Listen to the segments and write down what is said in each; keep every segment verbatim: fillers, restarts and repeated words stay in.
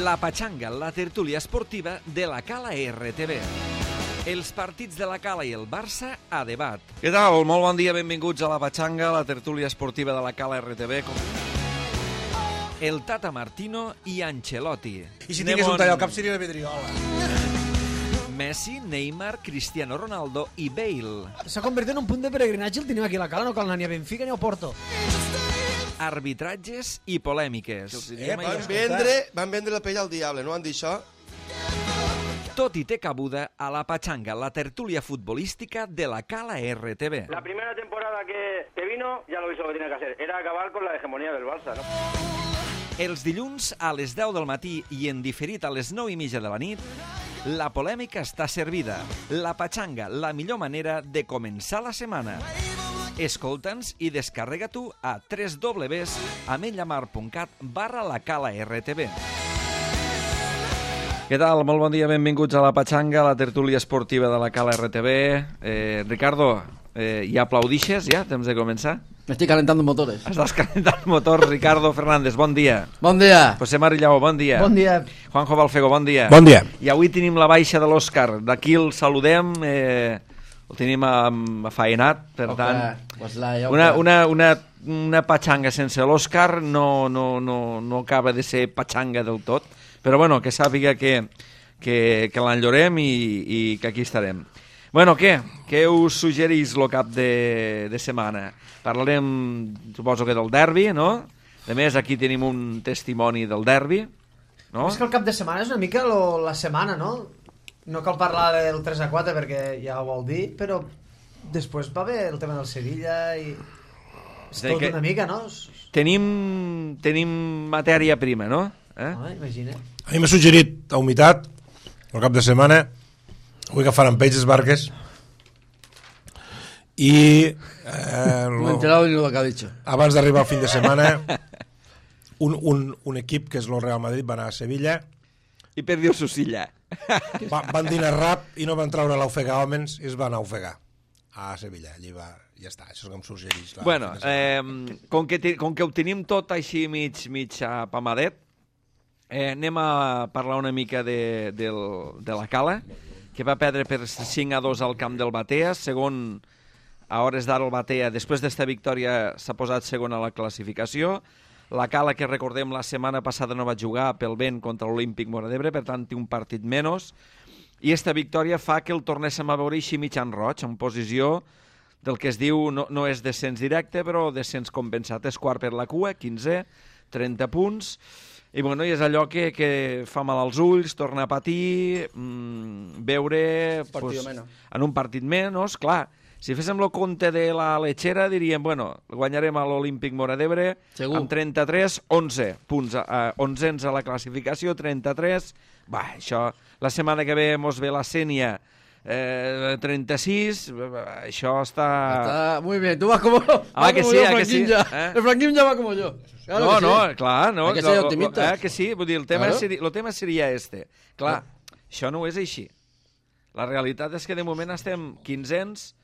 La Patxanga, la tertúlia esportiva de la Cala R T V. Els partits de la Cala i el Barça a debat. Què tal? Molt bon dia, benvinguts a La Patxanga, la tertúlia esportiva de la Cala R T V. El Tata Martino i Ancelotti. I si tingués un tall al cap seria la Pedriola. Messi, Neymar, Cristiano Ronaldo i Bale. S'ha convertit en un punt de peregrinatge el tenim aquí a la Cala, no cal anar ni a Benfica ni a Porto. Arbitratges i polèmiques. Eh, van, vendre, van vendre la pell al diable, no van dir això? Tot i té cabuda a La Patxanga, la tertúlia futbolística de la Cala R T V. La primera temporada que, que vino, ya lo hizo lo que tenía que hacer. Era acabar con la hegemonía del Barça, ¿no? Els dilluns a les deu del matí i en diferit a les nou i mitja de la nit, la polèmica està servida. La Patxanga, la millor manera de començar la setmana. Escolta'ns i descarrega-t'ho a w w w punt ametlllamar punt cat barra la Cala R T V. Què tal? Molt bon dia, benvinguts a La Patxanga, la tertúlia esportiva de la Cala R T V. Eh, Ricardo, eh, ja aplaudixes, ja? Temps de començar? Me estoy calentando motores. Estàs calentant motors, Ricardo Fernández, bon dia. Bon dia. José Marillao, bon dia. Bon dia. Juanjo Balfego, bon dia. Bon dia. I avui tenim la baixa de l'Òscar. D'aquí el saludem, eh, el tenim afaenat, per Oca, tant... pues la, ja Una, una, una, una patxanga sense l'Òscar no, no, no, no acaba de ser patxanga del tot, però bueno, que sàpiga que, que, que l'enllorem i, i que aquí estarem. Bueno, què? Què us suggerís el cap de, de setmana? Parlarem, suposo que del derbi, no? A més, aquí tenim un testimoni del derbi, no? És que el cap de setmana és una mica lo, la setmana, no? No cal parlar del tres a quatre perquè ja ho vol dir, però després va haver el tema del Sevilla i... És tot una mica, no? Tenim, tenim matèria prima, no? Eh? Ah, imagina. A mi m'ha suggerit a Humitat, el cap de setmana, vull que faran peix les barques, i eh, no he enterado ni lo que ha dicho. Abans d'arribar al fin de setmana, un, un, un equip que és el Real Madrid va anar a Sevilla i perdió su silla. va, van dinar rap i no van treure l'ofegar homes i es van ofegar a Sevilla. Allí va, ja està, això és que em suggerís. Bueno, eh, com, que te, com que ho tenim tot així mig, mig apamadet, eh, anem a parlar una mica de, del, de la Cala, que va perdre per cinc a dos al camp del Batea, segon a hores d'ara el Batea, després d'esta victòria s'ha posat segon a la classificació. La Cala, que recordem la setmana passada no va jugar pel vent contra l'Olímpic Móra d'Ebre, per tant té un partit menys, i esta victòria fa que el tornéssim a veure així mig en roig, en posició del que es diu, no, no és descens directe, però descens compensat. És quart per la cua, quinze, trenta punts, i bueno, i és allò que, que fa mal als ulls, torna a patir, mmm, veure pues, en un partit menys, clar. Si féssim el compte de la Lechera, diríem, bueno, guanyarem a l'Olímpic Móra d'Ebre amb trenta-tres, onze punts, eh, onzens a la classificació, trenta-tres, va, això, la setmana que ve mos ve la Sènia, eh, trenta-sis, això està... Está muy bien, tú vas como, ah, va que como sí, yo, ah, que sí, ya. Eh? El Franquín ya va como yo. Claro no, que no, sí. clar, no. Hay que ser optimistas. Eh, que sí, vull dir, el tema, claro. seria, el tema seria este. Clar, no. Això no és així. La realitat és que de moment estem quinzens,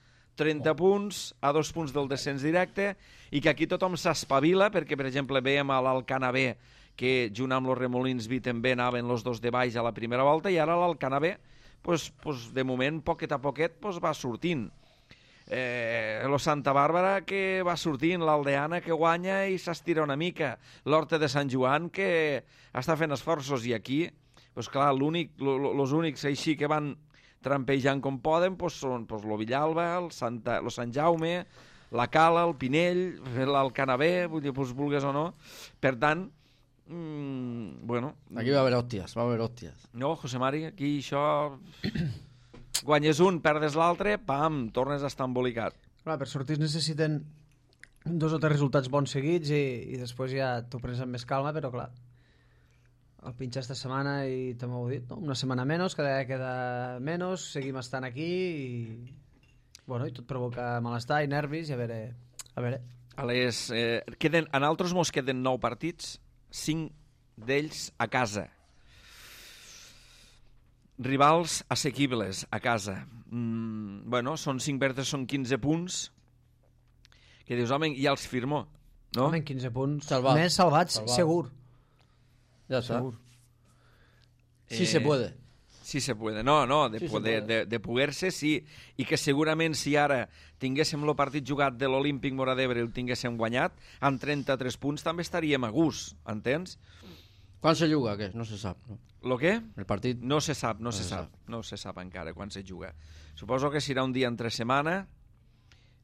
trenta punts, a dos punts del descens directe, i que aquí tothom s'espavila, perquè, per exemple, veiem a l'Alcana B, que junt amb els Remolins B també anaven els dos de baix a la primera volta, i ara l'Alcana B, pues, pues, de moment, poquet a poquet, pues, va sortint. Eh, lo Santa Bàrbara que va sortint, l'Aldeana que guanya i s'estira una mica, l'Horta de Sant Joan que està fent esforços, i aquí, pues, clar, l'únic, els únics així que van trampejant com poden, pues, són pues, lo Villalba, el, Santa, lo Sant Jaume, la Cala, el Pinell, l'Alcana B, vull dir, pues, vulgues o no. Per tant, mmm, bueno... Aquí va a haver hòsties, va a haver hòsties. No, José Mari, aquí això... Guanyes un, perdes l'altre, pam, tornes a estar embolicat. Clar, per sortir necessiten dos o tres resultats bons seguits i, i després ja t'ho prens amb més calma, però clar, el pinxa esta setmana i també ho he dit, no? Una setmana menys, cada dia queda menys, seguim estant aquí i... Bueno, i tot provoca malestar i nervis i a veure... A veure. A les, eh, queden, en altres mos queden nou partits, cinc d'ells a casa. Rivals assequibles a casa. Mm, bueno, són cinc verdes, són quinze punts. Que dius, home, ja els firmo, no? Home, quinze punts Salvat. més salvats, Salvat. segur. Ja està. Segur. Sí se puede. Sí se puede, no, no, de, Sí se poder, puede. de, de poder-se, sí, i que segurament si ara tinguéssim el partit jugat de l'Olímpic Móra d'Ebre i el tinguéssim guanyat, amb trenta-tres punts també estaríem a gust, entens? Quan se juga, què? No se sap, no? Lo què? El partit... No se sap, no, No se se sap, no se sap encara quan se juga. Suposo que serà un dia entre setmana,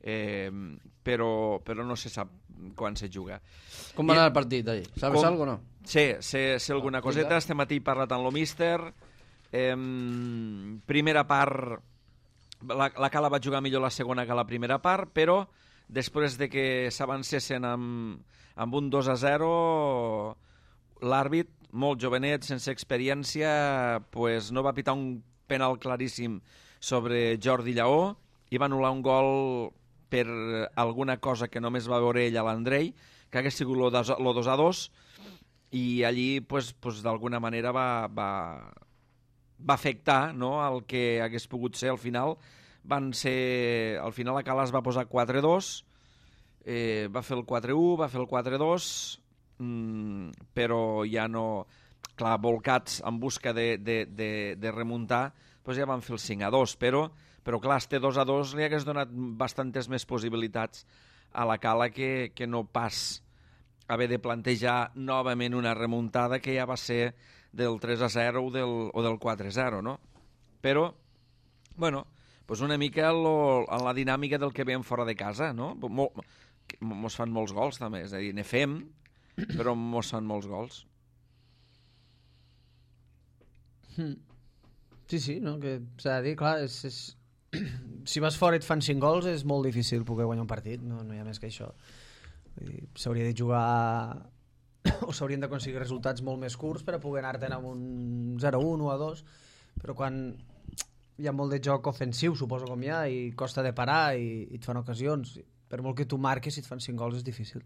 eh, però, però no se sap quan se juga. Com va I- anar el partit ahir? Sabes Com- algo o no? Sí, sé, sé alguna explica. coseta. Este matí he parlat amb lo míster. Eh, primera part, la, la Cala va jugar millor la segona que la primera part, però després de que s'avancessin amb, amb un dos a zero, l'àrbit, molt jovenet, sense experiència, pues no va pitar un penal claríssim sobre Jordi Lleó i va anul·lar un gol per alguna cosa que només va veure ell a l'Andrei, que hagués sigut lo dos- lo dos a dos, i allí pues, pues, d'alguna manera va, va, va afectar, no?, el que hagués pogut ser al final. Van ser... Al final la Cala es va posar quatre dos, eh, va fer el quatre u, va fer el quatre dos, mm, però ja no... Clar, volcats en busca de, de, de, de remuntar, pues ja van fer el cinc a dos, però, però clar, este dos a dos li hagués donat bastantes més possibilitats a la Cala que, que no pas haver de plantejar novament una remuntada que ja va ser del tres a zero o del, o del quatre a zero, no? Però, bueno, pues una mica lo, en la dinàmica del que veiem fora de casa, no? Mol, mos fan molts gols, també, és a dir, ne fem, però mos fan molts gols. Sí, sí, no? Que s'ha de dir, clar, és, és... si vas fora i et fan cinc gols és molt difícil poder guanyar un partit, no, no hi ha més que això. Vull dir, s'hauria de jugar o s'haurien d'aconseguir resultats molt més curts per a poder anar-te'n amb un zero a un o a dos, però quan hi ha molt de joc ofensiu, suposo com hi ha, i costa de parar i, i et fan ocasions, per molt que tu marques, si et fan cinc gols és difícil.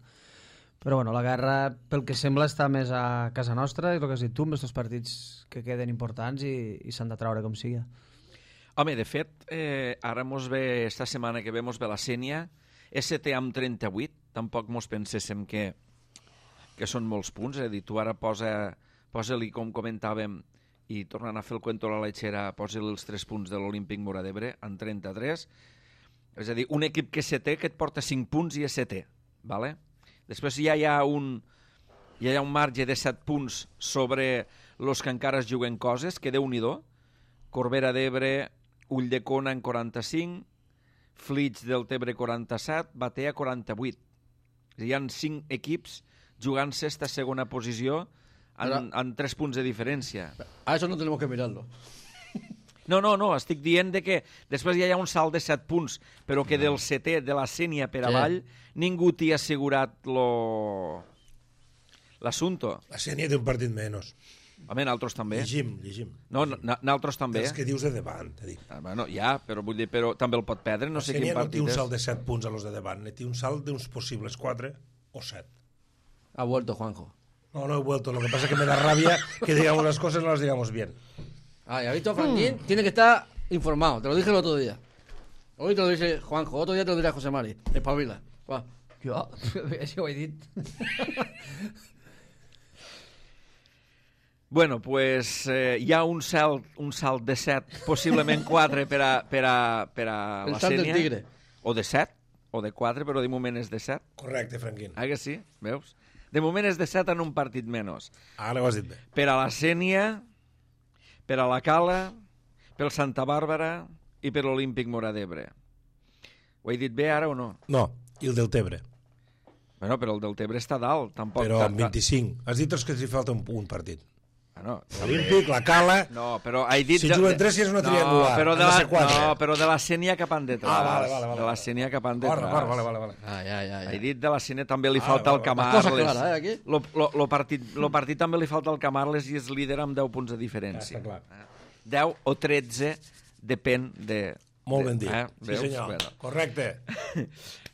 Però bueno, la guerra, pel que sembla, està més a casa nostra, i el que has dit tu, amb aquests partits que queden importants i, i s'han de traure com sigui. Home, de fet, eh, ara mos ve, esta setmana que ve, mos ve la Sénia, S T amb trenta-vuit, tampoc mos penséssim que, que són molts punts, és a dir, tu ara posa, posa-li, com comentàvem, i tornant a fer el cuento a la lechera, posa-li els tres punts de l'Olímpic Móra d'Ebre, en trenta-tres, és a dir, un equip que és setè, que et porta cinc punts i és setè, ¿vale? Després ja hi ha un, ja hi ha un marge de set punts sobre els que encara es juguen coses, que Déu-n'hi-do, Corbera d'Ebre, Ulldecona en quaranta-cinc, Flix del Tebre quaranta-set, Batea quaranta-vuit. Hi ha cinc equips jugant-se esta segona posició en, Però... en tres punts de diferència. A eso no tenemos que mirarlo. No, no, no, estic dient de que després ja hi ha un salt de set punts, però que del setè, de la Sénia per Sí. avall, ningú t'hi ha assegurat lo... l'assumpte. La Sénia té un partit menys. Home, nosaltres també. Llegim, llegim. No, no, nosaltres també. Els que dius de davant, t'he dit. Ah, bueno, ja, però vull dir, però també el pot perdre, no La sé quin Sénia no té partit un és. salt de set punts a los de davant, ne té un salt d'uns possibles quatre o set. Ha vuelto Juanjo. No, no he vuelto. Lo que pasa es que me da rabia que digamos las cosas y no las digamos bien. Ah, ¿ya has visto, Franklin? Tiene que estar informado. Te lo dije el otro día. Hoy te lo dice Juanjo, otro día te lo dirá José Mari. Espabila. Va. Jo, això ho he dit. Bueno, pues eh, hi ha un salt, un salt de set, possiblement quatre per a, per a, per a El la salt del Sénia. tigre. O de set, o de quatre, però de moment és de set. Correcte, Franquín. Ah, que sí? Veus? De moment és de set en un partit menys. Ara ho has dit bé. Per a la Sénia, per a la Cala, pel Santa Bàrbara i per l'Olímpic Móra d'Ebre. Ho he dit bé ara o no? No, i el del Tebre. Bueno, però el del Tebre està dalt, tampoc. Però ta- amb vint-i-cinc. Has dit els que els hi falta un, un partit. Bueno, L'Olímpic, la Cala... no, però he dit... Si de- juguen tres, ja és una no, triangular. Però de Han de la, ser quatre. no, però de la Sénia cap endetrás. Ah, vale, vale, vale. De la Sénia cap endetrás. Corre, corre, vale, vale, vale. Ay, ay, ay. He ay. dit de la Sénia també li Ah, falta vale, el vale. Camarles. Cosa clara, eh, aquí? Lo, lo, lo, partit, lo partit també li falta el Camarles i és líder amb deu punts de diferència. Ja està clar. deu o tretze, depèn de... Molt de, ben dit. Eh? Sí, Veus? senyor. Bueno. Correcte.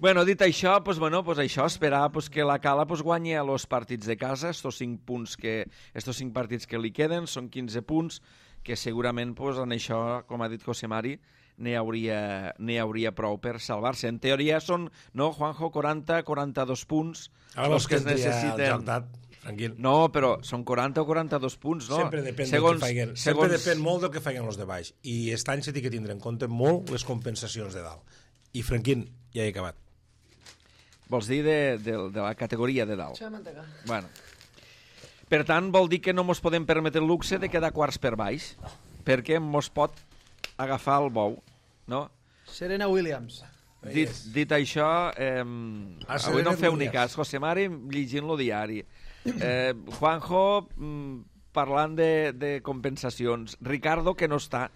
Bueno, dit això, pues, bueno, pues això, esperar pues, que la Cala pues, guanyi a los partits de casa, estos cinc punts que, estos cinc partits que li queden, són quinze punts, que segurament pues, en això, com ha dit José Mari, n'hi hauria, n'hi hauria prou per salvar-se. En teoria són, no, Juanjo, quaranta, quaranta-dos punts, Ara els vols que que es entri al necessiten. Jordat, Tranquil. No, però són quaranta o quaranta-dos punts, no? Sempre depèn segons, del que feien. segons... Sempre depèn molt del que feien els de baix. I aquest any s'ha de tindre en compte molt les compensacions de dalt. I, Franquín, ja he acabat. Vols dir de, de, de la categoria de dalt? Sí, manteca. Bueno. Per tant, vol dir que no mos podem permetre el luxe de quedar quarts per baix, perquè mos pot agafar el bou, no? Serena Williams. Dit, dit això, eh, Ah, avui no Serena feu ni Williams. cas, José Mari llegint-lo diari. Eh, Juanjo mm, parlant de, de compensacions. Ricardo, que no està.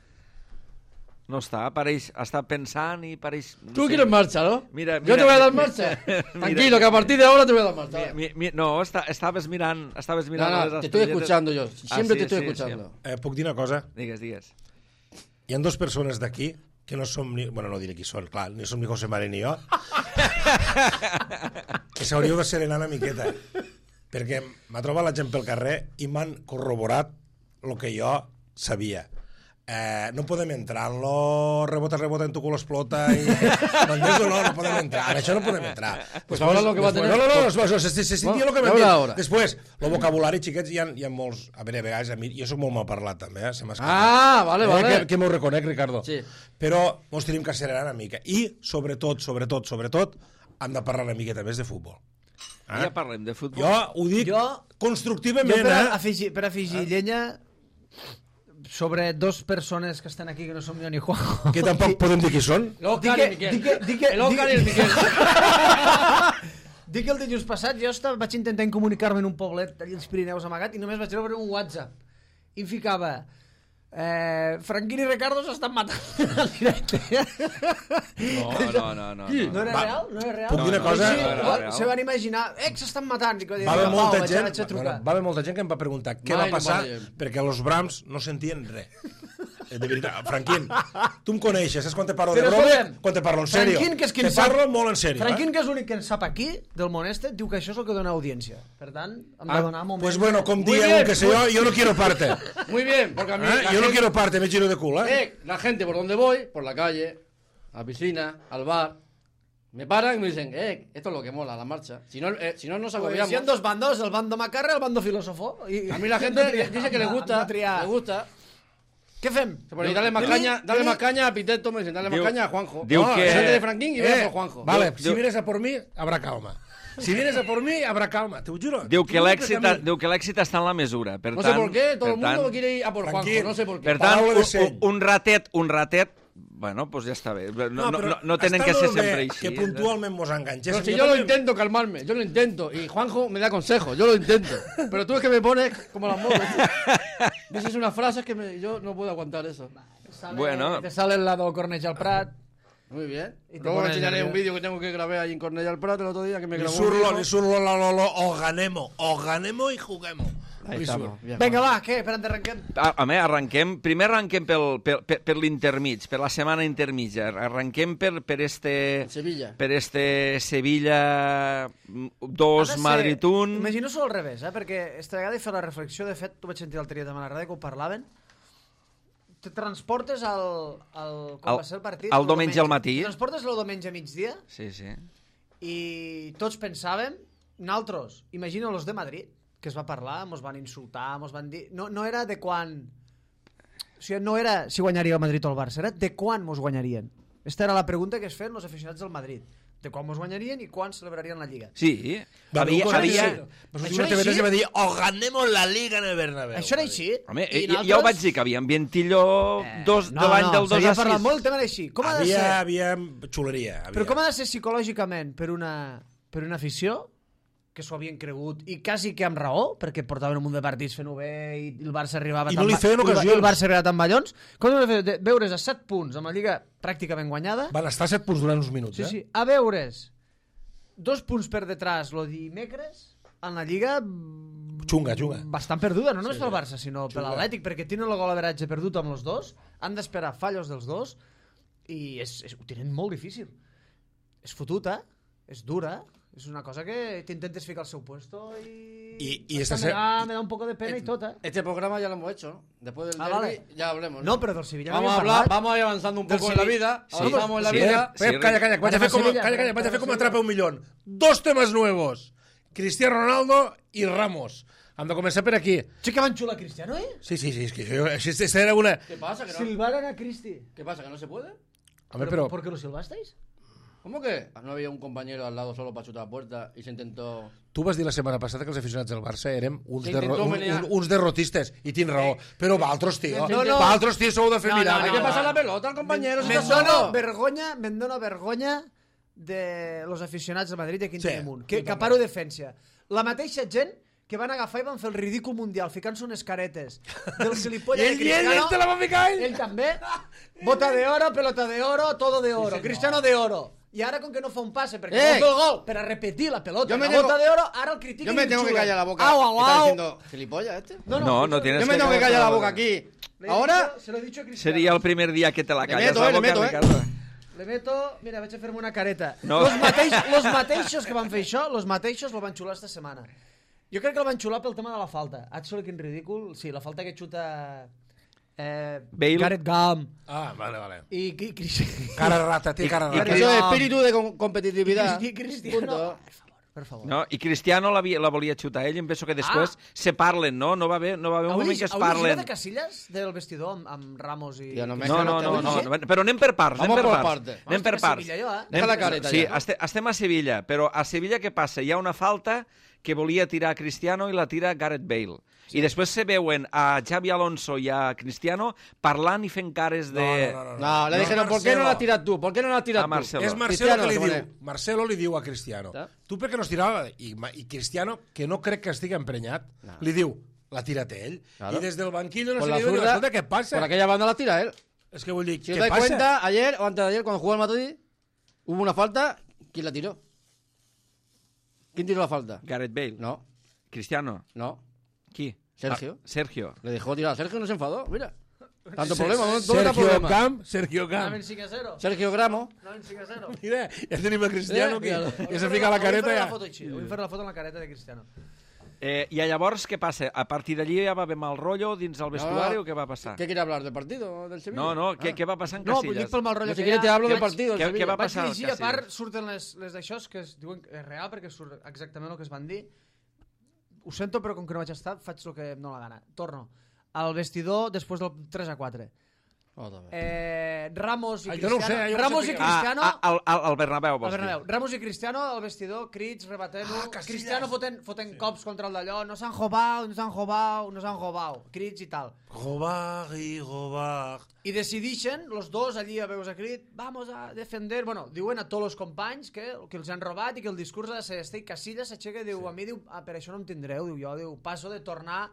No està, pareix, està pensant i pareix... No Tú sé. quieres marcha, ¿no? Mira, Yo mira, te voy a dar mira, marcha. mira. Tranquilo, que a partir de ahora te voy a dar marcha. Mi, mi, mi, no, està, estaves mirant, estaves No, mirant no, les te estoy estrelletes. escuchando yo. Siempre Ah, te sí, estoy sí, escuchando. Eh, puc dir una cosa? Sí. Digues, digues. Hi ha dues persones d'aquí que no som ni... Bueno, no diré qui són, clar, ni som ni José Mari ni jo. Que s'hauríeu de serenar una miqueta. Perquè m'ha trobat la gent pel carrer i m'han corroborat el que jo sabia. Eh, no podem entrar en lo rebota, rebota, en tu culo explota i... ¿M'entens o no? No podem entrar. En això no podem entrar. Pues ahora lo que va a Después- tener- No, no, no, no, se, se, se sentia Bueno, el que ja m'han veurà dit. ara. Després, el vocabulari, xiquets, hi ha, hi ha molts... A veure, a vegades, a mi, jo sóc molt mal parlat, també, eh? Se m'ha escapat. Ah, vale, Eh, vale. Que, que m'ho reconec, Ricardo. Sí. Però mos tenim que acelerar una mica. I, sobretot, sobretot, sobretot, hem de parlar una miqueta més de futbol. Ja parlem de futbol. Jo ho dic Jo- constructivament, Jo per eh? afegir, per afegir llenya sobre dos persones que estan aquí que no som jo ni Juanjo. Que tampoc podem dir qui són. El Oscar Di y que- el Miquel. di que- di que- El Oscar di- y el Miquel. Dic que el dilluns passat jo estava, vaig intentar comunicar-me en un poblet allà als Pirineus amagat i només vaig rebre un WhatsApp i em ficava eh, Franquín i Ricardo s'estan matant al directe. No, no, no. no, Qui? no. No era Va, real? No era real? puc dir una Sí, cosa? sí, No era va- real. se van imaginar, eh, que s'estan matant. I que Va haver Pau, molta vaig- gent, vaig a trucar. bueno, va haver molta gent que em va preguntar què Mai va no passar parlem. perquè els Brahms no sentien res. Eh, De veritat, Franquín, tu em coneixes, saps quan te parlo de Però broma? escolta'm, Quan te parlo en sèrio. Franquín, que és qui te en sap- parlo molt en sèrio. Franquín, eh? que és l'únic que en sap aquí, del món este, diu que això és el que dona audiència. Per tant, hem de Ah, donar moments... pues bueno, com Muy dieu bien, que sé jo, jo no quiero parte. Muy bien, porque a mí... ¿Eh? la Yo no gente- quiero parte, me giro de culo, ¿eh? Eh, la gente por donde voy, por la calle, a la piscina, al bar, me paran y me dicen, eh, esto es lo que mola, la marcha. Si no, eh, si no nos Pues agobiamos. hi ha dos bandos, el bando macarra i el bando filósofo. I, A mí la gente hem de triar, dice que le hem de- gusta, hem de triar. le gusta. Què fem? Se pone, dale más Dili- caña, dale dili- más caña a Piteto, me dicen, dale más Diu- caña a Juanjo. diu No, que- salte de Franquín y ve por Juanjo. Vale, Diu- si diu- vienes a por mí, habrá calma. Si vienes a por mí, habrá calma, te ho juro. Diu que T'ho juro l'èxit a mi. diu que l'èxit està en la mesura. Per No tant, sé por qué, todo per el mundo tant, quiere ir a por Juanjo, Tranquil. no sé por qué. Per tant, Paraula de un, seny. un ratet, un ratet, bueno, doncs ja està bé. No, no, no, però no tenen està que ser molt bé sempre així. que puntualment mos enganxéssim. Pero si Jo yo lo també- intento calmarme, yo lo intento. Y Juanjo me da consejos, yo lo intento. Pero tú es que me pones como las motos. Dices unas frases que me- yo no puedo aguantar eso. Sale, Bueno. Te sale el lado Cornellà al Prat. Muy bien. Y te Luego me pones enseñaré nervioso. un vídeo que tengo que grabé ahí en Cornellà al Prat el otro día que me Ni grabó un surlo, hijo. ni surlo, lo, lo, lo, o ganemos, o ganemos y juguemos. Ahí Ni estamos. surt. Bien, Vinga, Juanjo. va, què? Espera, arrenquem. A, a més, arrenquem, primer arrenquem pel, pel, per, per l'intermig, per la setmana intermitja. Arrenquem per, per este... Sevilla. Per este Sevilla dos, Madrid un... Imagino solo al revés, eh? Perquè esta vegada he fet la reflexió, de fet, tu vaig sentir l'altre dia també a la ràdio que ho parlaven, te transportes al, al com Al- va ser el partit? al el diumenge al matí. Te transportes el diumenge a migdia Sí, sí. i tots pensàvem, naltros, imagina los de Madrid, que es va parlar, mos van insultar, mos van dir... No, no era de quan... O sigui, no era si guanyaria el Madrid o el Barça, era de quan mos guanyarien. Esta era la pregunta que es feien els aficionats del Madrid. De quan mos guanyarien i quan celebrarien la Lliga. Sí. Va haver Havia, un havia... havia... Pues Això una era T V tres així? va dir, o ganemos la Liga en el Bernabéu. Això era així. Home, I I ja, nosaltres- ja ho vaig dir, que havia ambient-illó dos, no, de l'any no, del dos s'havia a parlat sis. molt el tema era així. Com ha de Havia, ser? havia xuleria. Havia. Però com ha de ser psicològicament per una, per una afició que s'ho havien cregut i quasi que amb raó, perquè portaven un munt de partits fent-ho bé i el Barça arribava I tan no li ba- feien i el- ocasions. i el Barça arribava tan ballons. Com ha de fer? De- veure's a set punts amb la Lliga pràcticament guanyada. Van estar set punts durant uns minuts, Sí, eh? sí. A veure's dos punts per detrás lo dimecres en la Lliga Xunga, xunga. bastant perduda, no només pel Barça, sinó per Xunga. l'Atlètic, perquè tenen el gol average perdut amb els dos, han d'esperar fallos dels dos i és, és, ho tenen molt difícil. És fotuta, és dura, és una cosa que t'intentes ficar al seu puesto i... I- i Hasta esta me, se- da, me da un poco de pena y tot, eh? Este programa ya lo hemos hecho, ¿no? Después del Ah, derbi vale. ya hablemos. No, però del Sevilla no Vamos a havíem hablar, parlat. vamos a ir avanzando un Del poco en la Sevilla- vida. Sí, Avanzamos en la sí, vida. sí. Pep, calla, calla, que vaig a Anem fer a com, Sevilla, calla, calla, vaig a anem fer a com Sevilla. atrapa un milió. Dos temes nuevos. Cristiano Ronaldo i Ramos. Hem de començar per aquí. Sí que van xular Cristiano, eh? Sí, sí, sí, es que yo, esta era una... ¿Qué pasa? ¿Que no? Silbaron a Cristi. ¿Qué pasa? ¿Que no se puede? Hombre, pero... ¿Por qué lo silbasteis? ¿Cómo que? No había un compañero al lado solo para chutar la puerta y se intentó... Tu vas dir la setmana passada que els aficionats del Barça érem uns, Se derro intentó un, menear. un, uns derrotistes, i tens raó. Però valtros, tio, No, no. valtros, tio, sou de fer No, no, mirar. Hay no, que no, pasar no. la pelota al compañero, si Me está dona solo. vergonya, me'n dona vergonya de los aficionats del Madrid i aquí en Sí, tenim un. Que, jo que també. paro defensa. La mateixa gent que van agafar i van fer el ridícul mundial ficant-se unes caretes del I gilipolles ell, de i ell, Cristiano. ell te la va ficar, ell. Ell també. Bota de oro, pelota de oro, todo de oro. Sí, Cristiano de oro. I ara, com que no fa un passe, perquè Eh. no fa el gol, per a repetir la pelota, Yo me la tengo- bota de oro, ara el critiquen Yo me i tengo que xulen. callar la boca. Au, au, ¿Está au. diciendo gilipollas este? No, no escucha, tienes Yo me que tengo que callar callar la la boca. boca aquí. le he Ahora... dicho- se lo he dicho a Cristiano. Seria el primer dia que te la Le calles meto, la eh, le boca, meto, eh. Ricardo. Le meto... Mira, vaig a fer-me una careta. No. Los, mateix, los mateixos que van fer això, los mateixos lo van xular esta setmana. Jo crec que el van xular pel tema de la falta. Atxo, quin ridícul. Sí, la falta que xuta... Eh, Bale. Gareth Gam. Ah, vale, vale. I, i, i, Cara rata, té cara I- rata. i- Eso es espíritu de com- competitividad. i Cristiano... Punto. Per favor, per favor. No? I Cristiano la, la volia xutar ell, em penso que després Ah. se parlen, no? No va haver, no va haver un Heu moment llegit- que es heu llegit parlen. de Casillas del vestidor amb, amb Ramos i... Tio, no me- No, no, no, no, Vamos no, però anem per parts, anem Vamos per por parts. partes. Anem per Estic a parts. Sevilla, jo, eh? Deja la Anem- careta sí, ja. este, estem a Sevilla, però a Sevilla què passa? Hi ha una falta que volia tirar Cristiano i la tira Gareth Bale. Sí. I després se veuen a Xavi Alonso i a Cristiano parlant i fent cares de... No, no, no, No, le dijeron, ¿por qué no la tiras tú? ¿Por qué no la tiras A tú? Marcelo. És Marcelo Cristiano, que li se diu. pone- Marcelo li diu a Cristiano. Ja. Tu per què no es tirava? I, ma- I Cristiano, que no crec que estigui emprenyat, No. li diu, la tira té ell. Claro. I des del banquillo no Por se la li diu, zurda, escolta, què passa? por aquella banda la tira él. És que vull dir, Si què os dais passa? cuenta, ayer o antes de ayer, cuando jugó el Madrid, hubo una falta. ¿Quién la tiró? ¿Quién tiró la falta? Gareth Bale. No, Cristiano. no. Qui? Sergio. Ah, Sergio. Le dejó tirar a Sergio y no se enfadó. Mira. Tanto Se- problema, no no Sergio era problema. Camp, Sergio Camp. Anaven cinc a zero. Sergio Gramo. Anaven cinc a zero. Mira, ja tenim a Cristiano Eh, que, mira. que se fica la careta Vull fer ja. la foto així. Vull fer la foto amb la careta de Cristiano. Eh, I llavors què passa? A partir d'allí ja va haver mal rotllo dins el vestuari o què va passar? ¿Qué quiere hablar? ¿Del partido? ¿Del Sevilla? No, no, què, Ah. què va passar en No, Casillas? dic pel mal rotllo No, si que quieres hi te ha. hablo del Vaig- partido. del Què- Sevilla. què va Vaig passar al llegir, a Casillas? part, surten les, les d'això que es diuen que és real, perquè surt exactament el que es van dir. Ho sento, però com que no vaig estar, faig el que em dóna la gana. Torno. Al vestidor després del tres a quatre. Otra vez. Eh, Ramos i Ah, jo no ho Cristiano... sé, jo no Ramos sé i què- Cristiano... Ah, ah, al, al, al Bernabéu, Al vols Bernabéu. dir? Ramos i Cristiano al vestidor, crits, rebatent-ho. Ah, Casillas. Cristiano fotent, fotent sí. cops contra el d'allò. No s'han jobau, no s'han jobau, no s'han jobau. Crits i tal. Robar i robar. I decidixen, los dos allí a veus a crit, vamos a defender... Bueno, diuen a tots els companys que, que els han robat i que el discurs ha de ser este. I Casillas s'aixeca i diu, sí. a mi diu, ah, per això no em tindreu, diu jo, diu, passo de tornar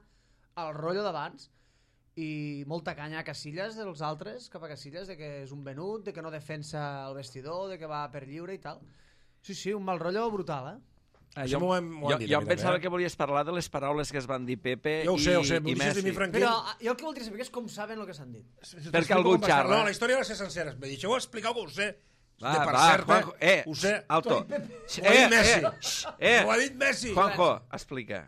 al rotllo d'abans. I molta canya a Casillas dels altres, cap a Casillas, de que és un venut, de que no defensa el vestidor, de que va per lliure i tal. Sí, sí, un mal rotllo brutal, eh? Ah, Això jo, m'ho han- m'ho jo, han dit jo a em mi pensava també, eh? que volies parlar de les paraules que es van dir Pepe Jo ho sé, i, ho sé, i m'ho deixes de mi, Messi. Franquín. Però ah, jo el que voldria saber és com saben el que s'han dit. Perquè algú Com va ser? xarra. No, la història va ser sencera. Me deixeu explicar que ho sé. Va, de per va, cert, Juanjo, eh, ho sé. alto. Ho ha dit Eh, Messi. eh, xx, eh, Ho ha dit Messi. Juanjo, explica.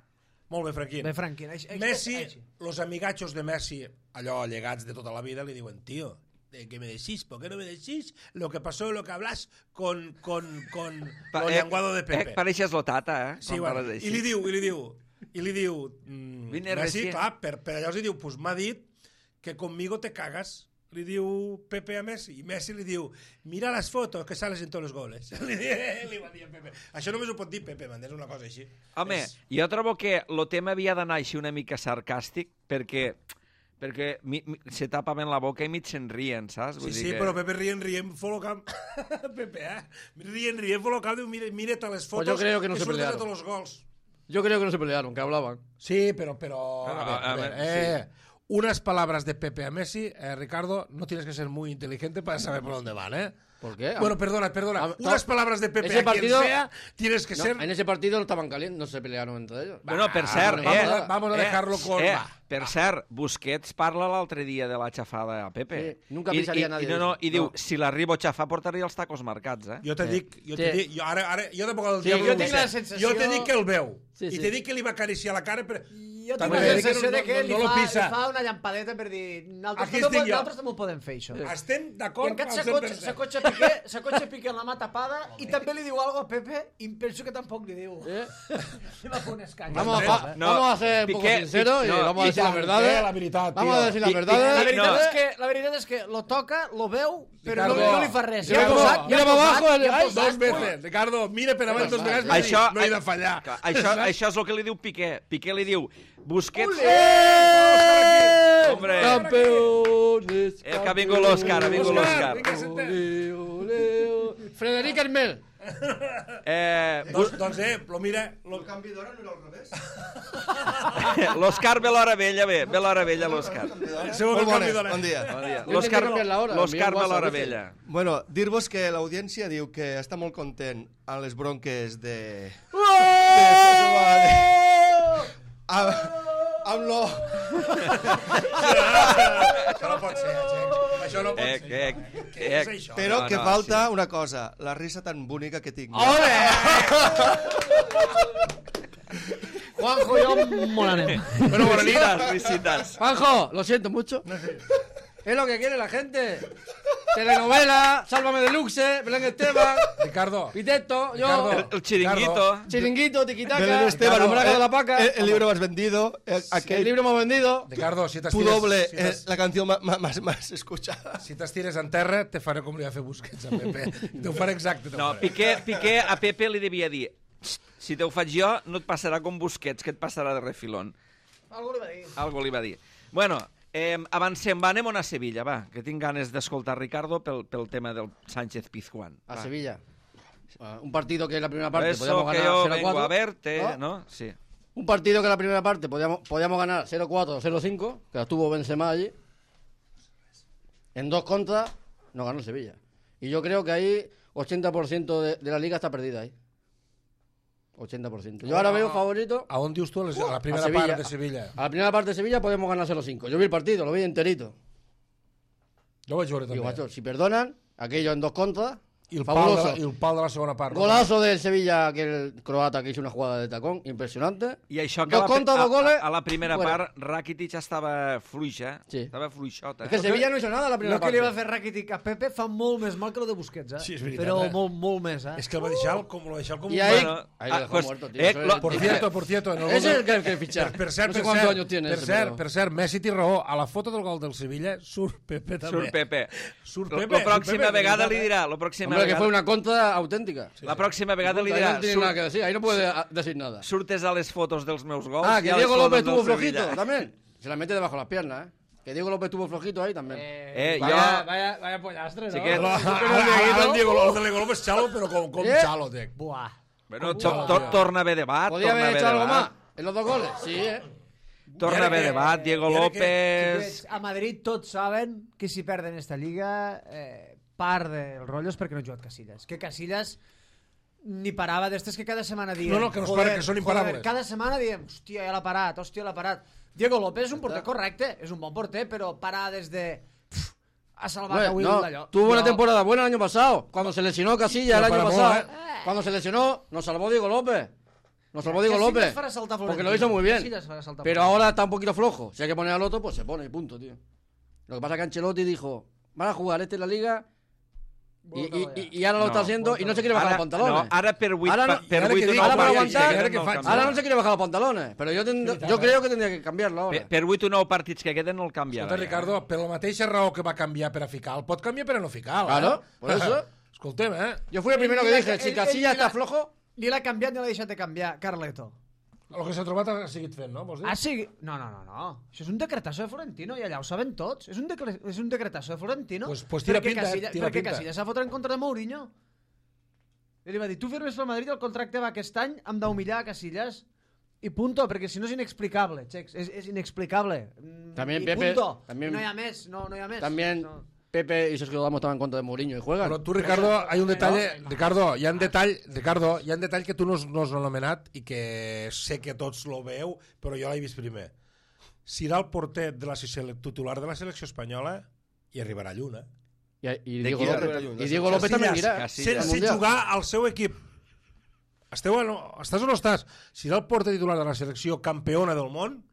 Molt bé, Franquín. Bé, Franquín, així, així, Messi, així. los amigachos de Messi, allò llegats de tota la vida, li diuen, tío, de que me decís, ¿por qué no me decís lo que pasó, lo que hablas con, con, con Pa- lo eh, llenguado de Eh, Pepe? pareixes l'Otata, eh? Sí, quan bueno, parles així. i li diu, i li diu, i li diu, mm, Vine Messi, recién. clar, per, per allò els diu, pues m'ha dit que conmigo te cagas. Li diu Pepe a Messi, i Messi li diu, mira les fotos que sales en tots els goles. li, li va dir a Pepe. Això només ho pot dir Pepe, m'entens? Una cosa així. Home, És... jo trobo que el tema havia d'anar així una mica sarcàstic, perquè perquè mi, mi, se tapaven la boca i mig se'n rien, saps? Sí, Vull sí, dir que... però Pepe rient, rient, folocam. Pepe, eh? Rient, rient, folocam, diu, mire, mírate les fotos Pues yo creo que no se surten pelearon. de tots els gols. Yo creo que no se pelearon, que hablaban. Sí, pero, pero a Pero, ver, a a ver, ver, eh, unas palabras de Pepe a Messi, eh, Ricardo, no tienes que ser muy inteligente para saber por dónde van, ¿eh? ¿Por qué? Bueno, perdona, perdona. Ah, Unas no. palabras de Pepe Ese a quien partido- sea, tienes que No, ser... en ese partido no estaban calientes, no se pelearon entre ellos. Bueno, per Ah, cert, vamos eh, a- vamos a dejarlo con- eh, va. per cert, Busquets parla l'altre dia de la xafada a Pepe. Sí, nunca I, pensaria i, nadie i, no, no, eso. I diu, No. si l'arribo a xafar portaria els tacos marcats, eh? Jo te Sí. dic, jo Sí. te dic, jo ara, ara, jo de vegades el Sí, diable jo ho tinc sé. la sensació- Jo te dic que el veu. Sí, I sí. te dic que li va acariciar la cara, però Jo tinc També la dic que sensació no- de que no- li, no lo fa, pisa. li fa una llampadeta per dir nosaltres Aquí també, estic jo. nosaltres també ho podem fer, això. Estem I d'acord encara al cent s'acotxa per cent. s'acotxa Piqué, s'acotxa Piqué amb la mà tapada i també li diu algo a Pepe i penso que tampoc li diu. ¿Eh? Li va fer un escany. Vamos, a, fa- No, vamos a ser un poco Piqué- sinceros y no, vamos a decir i la tant, verdad. eh, la veritat, Vamos tio. a decir la Pi- verdad. La Piqué- veritat, no. és que, la veritat és que lo toca, lo veu, però no, Ricardo, no li fa res. Ricardo, Ja ha posat, mira ja ha para posat, abajo, ja ha ay, posat. Dos veces, Ricardo, mira per avall dos vegades, Això, no he de fallar. Clar, Això, això és el que li diu Piqué. Piqué li diu, Busquets... Hombre, Campeones. eh, que ha vingut l'Òscar, ha vingut l'Òscar. Vinga, senta. Ole, ole, ole. Frederic Hermel. Eh, Doncs, doncs eh, lo mira... Lo... El canvi d'hora no era al revés? L'Òscar ve l'hora vella, bé, ve l'hora vella l'Òscar. Segur que el Molt canvi bones, d'hora. bon dia. Bon dia. Jo L'Òscar tinc que canviar l'hora, l'Òscar envia ve un l'hora WhatsApp, vella. Bueno, dir-vos que l'audiència diu que està molt content amb les bronques de... Amb, amb lo... Això no pot ser, Txec. Això no pot Eh, ser. eh, Què eh, és això? Però No, que no, falta una cosa, la risa tan bonica que tinc. Juanjo, jo molt anem. Bueno, bona nit. Felicitats. Juanjo, lo siento mucho. Es lo que quiere la gente. Telenovela, Sálvame de Luxe, Belén Esteban, Ricardo, Piteto, yo, Ricardo. El, el chiringuito. Chiringuito, Tiquitaca, Belén Esteban, el brazo eh, de la paca, el, el libro más vendido, eh, el aquel libro hemos vendido. Ricardo, si t'estires... doble, si eh, t'es- la canción ma- ma- más, más escuchada. Si t'estires en terra, te faré com li va fer Busquets a Pepe. Te ho faré exacte. te ho No, faré. Piqué, Piqué a Pepe li devia dir si te ho faig jo, no et passarà com Busquets, que et passarà de refilón. Algo li va dir. Algo li va dir. Bueno, eh, avancem, va, anem a Sevilla, va, que tinc ganes d'escoltar Ricardo pel, pel tema del Sánchez Pizjuán. A Va. Sevilla. Uh, un partido que en la primera Por parte eso podíamos que ganar yo cero vengo cuatro. a verte, ¿no? ¿no? Sí. Un partido que en la primera parte podíamos, podíamos ganar cero cuatro o cero cinco, que la tuvo Benzema allí. En dos contras nos ganó el Sevilla. Y yo creo que ahí ochenta por ciento de, de la liga está perdida ahí. ochenta por ciento. Yo ahora veo favorito A on dius tu? A les- a la a primera Sevilla. part de Sevilla. A la primera parte de Sevilla podemos ganar cero cinco. Yo vi el partido, lo vi enterito. Jo vaig veure Digo, també. macho, si perdonan, aquello en dos contras, I el, pal de fabuloso. la, I el pal de la segona part. Golazo del Sevilla, aquel croata que hizo una jugada de tacón, impresionante. I això que Dos a la, contra, a, dos goles, a, a la primera fuera. part Rakitic estava fluixa, Sí. estava fluixota. Es que el Sevilla no hizo nada en la primera Lo que parte. li va fer Rakitic a Pepe fa molt més mal que lo de Busquets, eh? Sí, és veritat, Però eh? molt, molt més, eh? És que el va deixar el- com, lo va deixar com Y un... ahí, Bueno, ahí ah, lo dejó pues, muerto, tío. eh, Eso es- lo- Por cierto, por cierto... En el Ese es gol el que hay que fichar. Per, per cert, no sé per cuántos cert, años tiene per ese, cert, pero- per cert, Messi té raó. A la foto del gol del Sevilla surt Pepe també. Surt Pepe. Surt Lo- Pepe. La pròxima surt Pepe, vegada de li veritat, dirà, la pròxima Hombre, que vegada, fue una contra auténtica. la pròxima vegada li Ahí dirà, no tiene surt, nada que decir, ahí no puede ah, decir nada. surtes a les fotos dels meus gols. Ah, i que a les Diego fotos López del tuvo Sevilla. flojito también. Se la mete debajo de las piernas, ¿eh? Que Diego López tuvo flojito ahí también. Eh, vaya, jo- vaya, vaya pollastre, no? Chiquet. Ara, ara, ara el Diego, el de Diego López xalo, però com, com Eh? xalo, tec. Buah. Bueno, to, to, torna a haver debat, ¿Podía torna a haber haver hecho algo más debat. en los dos goles? Sí, ¿eh? Torna a haver que- debat, Diego i ara que- López... Xiquets, a Madrid tots saben que si perden esta lliga, eh, part del rotllo és perquè no ha jugat Casillas. Que Casillas ni parava d'estes que cada setmana diem... No, no, que no es joder, paren, que són imparables. joder, cada setmana diem, hòstia, ja l'ha parat, hòstia, l'ha parat. Diego López és un porter correcte, és un bon porter, però parar des de... Pff, ha salvat Bueno, a Will no, d'allò. tuvo una Jo- temporada buena el año pasado. Cuando se lesionó Casillas el Pero año para pasado. moda, Cuando se lesionó, nos salvó Diego López. Nos salvó Diego Casillas López. farà saltar Porque Florentino. lo hizo muy bien. Casillas farà saltar Pero Florentino. ahora está un poquito flojo. Si hay que poner al otro, pues se pone y punto, tío. Lo que pasa es que Ancelotti dijo, van a jugar este en la liga y, y, y- y ahora lo No, está haciendo y no se quiere bajar Ara, los pantalones. no, ara per vuit, Ara no- pa- per ara vuit que un dic, nou ara per partit, aguantar, que ara queden que no faig- canviarà. Ahora no se quiere bajar los pantalones. Pero yo, tend- veritat, yo eh? creo que tendría que cambiarlo ahora. Per, per vuit o nou partits que queden no el canviarà. Escolta, Ricardo, per la mateixa raó que va canviar per a ficar, el pot canviar per a no ficar. Claro, eh? por eso. Escoltem, eh? Yo fui el primero que Ell- dije, ell- si ell- Casillas ell- está flojo, Ni l'ha canviat ni l'ha deixat de canviar, Carleto. El que s'ha trobat ha seguit fent, no? Vols dir? Ah, sí? No, no, no, no. Això és un decretazo de Florentino i allà ho saben tots. És un, decre... és un decretazo de Florentino. Pues- pues tira perquè pinta, eh, Casillas, tira perquè pinta. Casillas s'ha fotre en contra de Mourinho. I li va dir, tu firmes pel Madrid, el contracte va aquest any, hem d'humillar a Casillas. I punto, perquè si no és inexplicable, Chex, és, és inexplicable. Mm, También I Pepe- punto. también- No hi ha més, no, no hi ha més. también No. Pepe y Sergio Ramos estaban en contra de Mourinho y juegan. Però tu, Ricardo, hay un detall, Ricardo, hi ha un detall, Ricardo, hi ha un detall que tu no, has- no has anomenat i que sé que tots lo veu, però jo l'he vist primer. Serà el porter de la sele- titular de la selecció espanyola i arribarà lluny, eh? Y, y ¿De Diego quién? López, y Diego López también irá. Casillas. al sense Mundial. jugar al seu equip. Esteu o no, estàs o no estàs? Serà el porter titular de la selecció campeona del món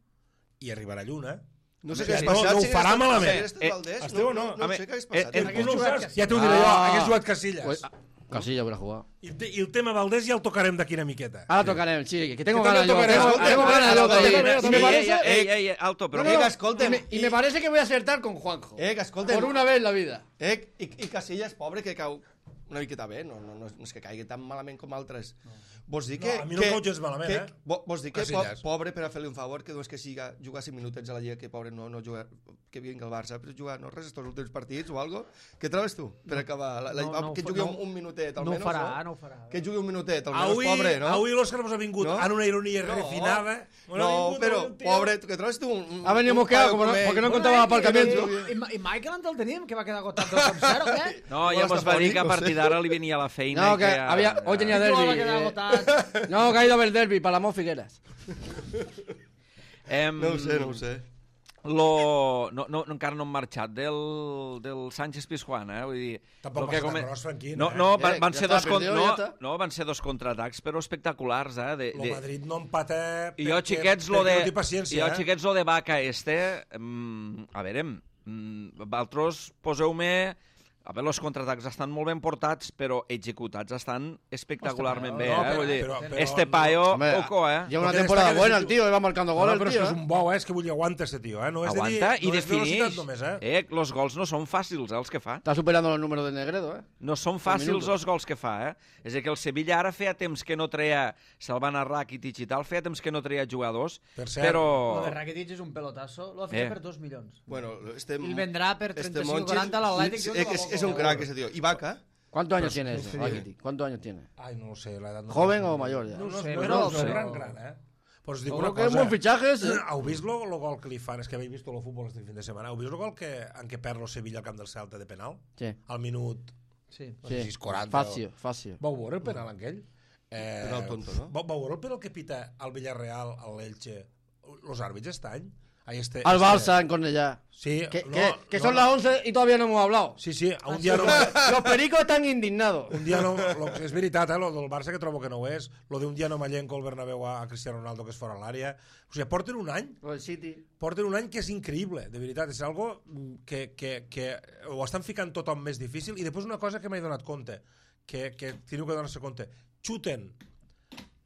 i arribarà lluna. No sé Ja, què has no, passat. no ho si farà hagués malament. estat- si hagués estat Eh, Valdés, Esteve, no, no. no, A no mi- sé què hagués eh, passat. eh, Tu no ho jugat saps, ja t'ho diré jo, Ah. hagués jugat Casillas. Pues, Casilla hubiera jugado. I, te, I el tema Valdés ja el tocarem d'aquí una miqueta. Ahora tocaremos, sí, que tengo Que ganas también yo. tocaremos. Tengo, tengo ganas yo. También, también. también, Y me también. parece, Ei, ei, ei, alto, però... no, Eh, no, que escolten, y me, y me parece que voy a acertar con Juanjo. Eh, que escolten. Por una vez en la vida. Eh, i, i Casillas, pobre, que cau una miqueta bé, no, no, no, és, no és que caigui tan malament com altres. No. Vols dir que... No, a mi no que, em cau gens malament, que, eh? vo- Vols dir que po, Casillas. pobre, per a fer-li un favor, que no és que siga jugar cinc minutets a la Lliga, que pobre no, no juga, que vingui al Barça, però jugar no res estos últims partits o algo. Què trobes tu per acabar? La, la, No, no ho que fa- jugui no- un, un minutet, No ho almenys, farà, no? no ho farà. Que jugui un minutet, almenys, Avui, pobre, no? avui l'Òscar mos ha vingut No? en una ironia No. refinada. Mos ha No, vingut però, un tio- pobre, que trobes tu un... un Ha venido un mosqueado paio como no- com ell. porque no Bueno, contaba eh, aparcamiento. I, i, I Michael ens el teníem, que va quedar agotat dos coma zero, què? No, ja Igual mos està va dir fònic, que a no partir sé. d'ara li venia a la feina. No, i que ja- había, hoy tenía I tu va derbi. quedar eh. agotat. No, que ha ido a ver el derbi, Palamón Figueras. Em, No ho sé, no ho sé. Lo... No, no, encara no hem marxat del, del Sánchez Pizjuán, eh? Vull dir... Tampoc lo que passa tan come- gros, Franquín, No, eh? no, van, Eh, van ja ser està, dos con... perdió, no, ja està. no, van ser dos contraatacs, però espectaculars, eh? De, Lo de... Madrid no empata I jo, perquè- xiquets, lo perquè de... no té paciència, jo, eh? xiquets, lo de Vaca este... Mm, a veure, mm, vosaltres poseu-me... A veure, els contraatacs estan molt ben portats, però executats estan espectacularment bé, no, eh? però- Vull dir, però- però- este paio, Hombre, oco, eh? Lleva una Porque temporada destaca buena ese el tío. tío, va marcando No, goles no, però el és que tío. és un bou, eh? És que vull dir, aguanta este tio, eh? No és Aguanta de dir, i no és velocitat definix. només, eh? Eh, los gols no són fàcils, eh, els que fa. Está superando los números de Negredo, ¿eh? No són fàcils minutos. els gols que fa, eh? És a dir, que el Sevilla ara feia temps que no treia, se'l van a Rakitic i tal, feia temps que no treia jugadors, Per cert, però... Lo de Rakitic és un pelotazo, lo ha fet Eh. per dos milions. Bueno, este... I el vendrà per este trenta-cinc o Monchis quaranta a l'Atlètic. és, és, és un crack, ese tío. I Vaca, ¿Cuántos años tiene ese, Rakitic? ¿Cuántos años tiene? Ai, no ho sé, l'edat... No ¿Joven no o sé. mayor ya? No, no, sé, no, però- no, no, però- gran, gran, eh? Però us dic Yo una creo que es un cosa. buen fichaje ese. Heu vist lo, lo gol que li fan? És que habéis visto lo futbol este fin de setmana. Heu vist el gol que, en què perd lo Sevilla al camp del Celta de penal? Sí, Al minut... Sí. No sé si sí. és quaranta. Fácil, fácil. Vau veure el penal aquell? Eh, Penal tonto, no? Vau, vau veure el penal que pita al Villarreal, a l'Elche, los àrbits este any? Ahí este, Al este- Barça en Cornellà. Sí, Que, no, que, que no, son no. las once y todavía no hemos hablado. Sí, sí, un dia no... Los pericos están indignados. Un dia no... Lo, és veritat, eh, lo del Barça, que trobo que no ho és. Lo d'un dia no m'allenco al Bernabéu a, a Cristiano Ronaldo, que és fora l'àrea. O sigui, porten un any Lo del City. porten un any que és increïble, de veritat, és algo que, que, que ho estan ficant tothom més difícil. I després una cosa que m'he donat compte, que, que teniu que donar-se compte, xuten.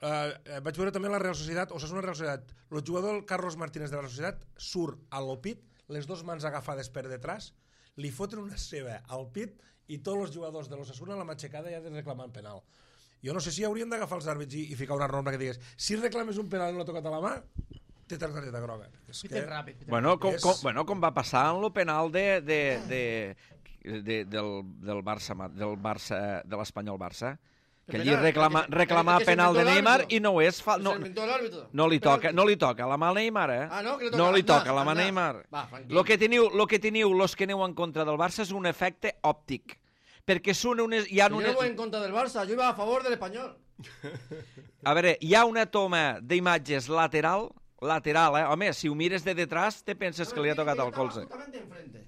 Uh, vaig veure també la Real Societat, o sigui, una Real Societat, el jugador Carlos Martínez de la Societat surt al pit, les dues mans agafades per detrás, li foten una ceba al pit i tots els jugadors de l'Osasuna a la matxecada ja de reclamant penal. Jo no sé si haurien d'agafar els àrbits i, i ficar una norma que digués si reclames un penal i no l'ha tocat a la mà, té targeta groga. És Piten que... ràpid. piten Bueno, com, És- com, bueno, com va passar en lo penal de, de, de, de, del, del Barça, del Barça, de l'Espanyol Barça, que allí penal, reclama, el que- reclamar el que se penal de inventó el Neymar árbitro. i no ho és... Fa, Se no, inventó el árbitro. no li Penalti. toca, no li toca la mà al Neymar, eh? Ah, no? Que li toca no li Aznar, toca la mà a Aznar. Neymar. Va, tranquil. Lo que teniu, lo que teniu, los que aneu en contra del Barça és un efecte òptic. Perquè són unes... Hi ha Yo unes, no voy en contra del Barça, yo iba a favor del español. a veure, hi ha una toma d'imatges lateral, lateral, eh? Home, si ho mires de detrás, te penses que li ha tocat el colze. Justamente enfrente.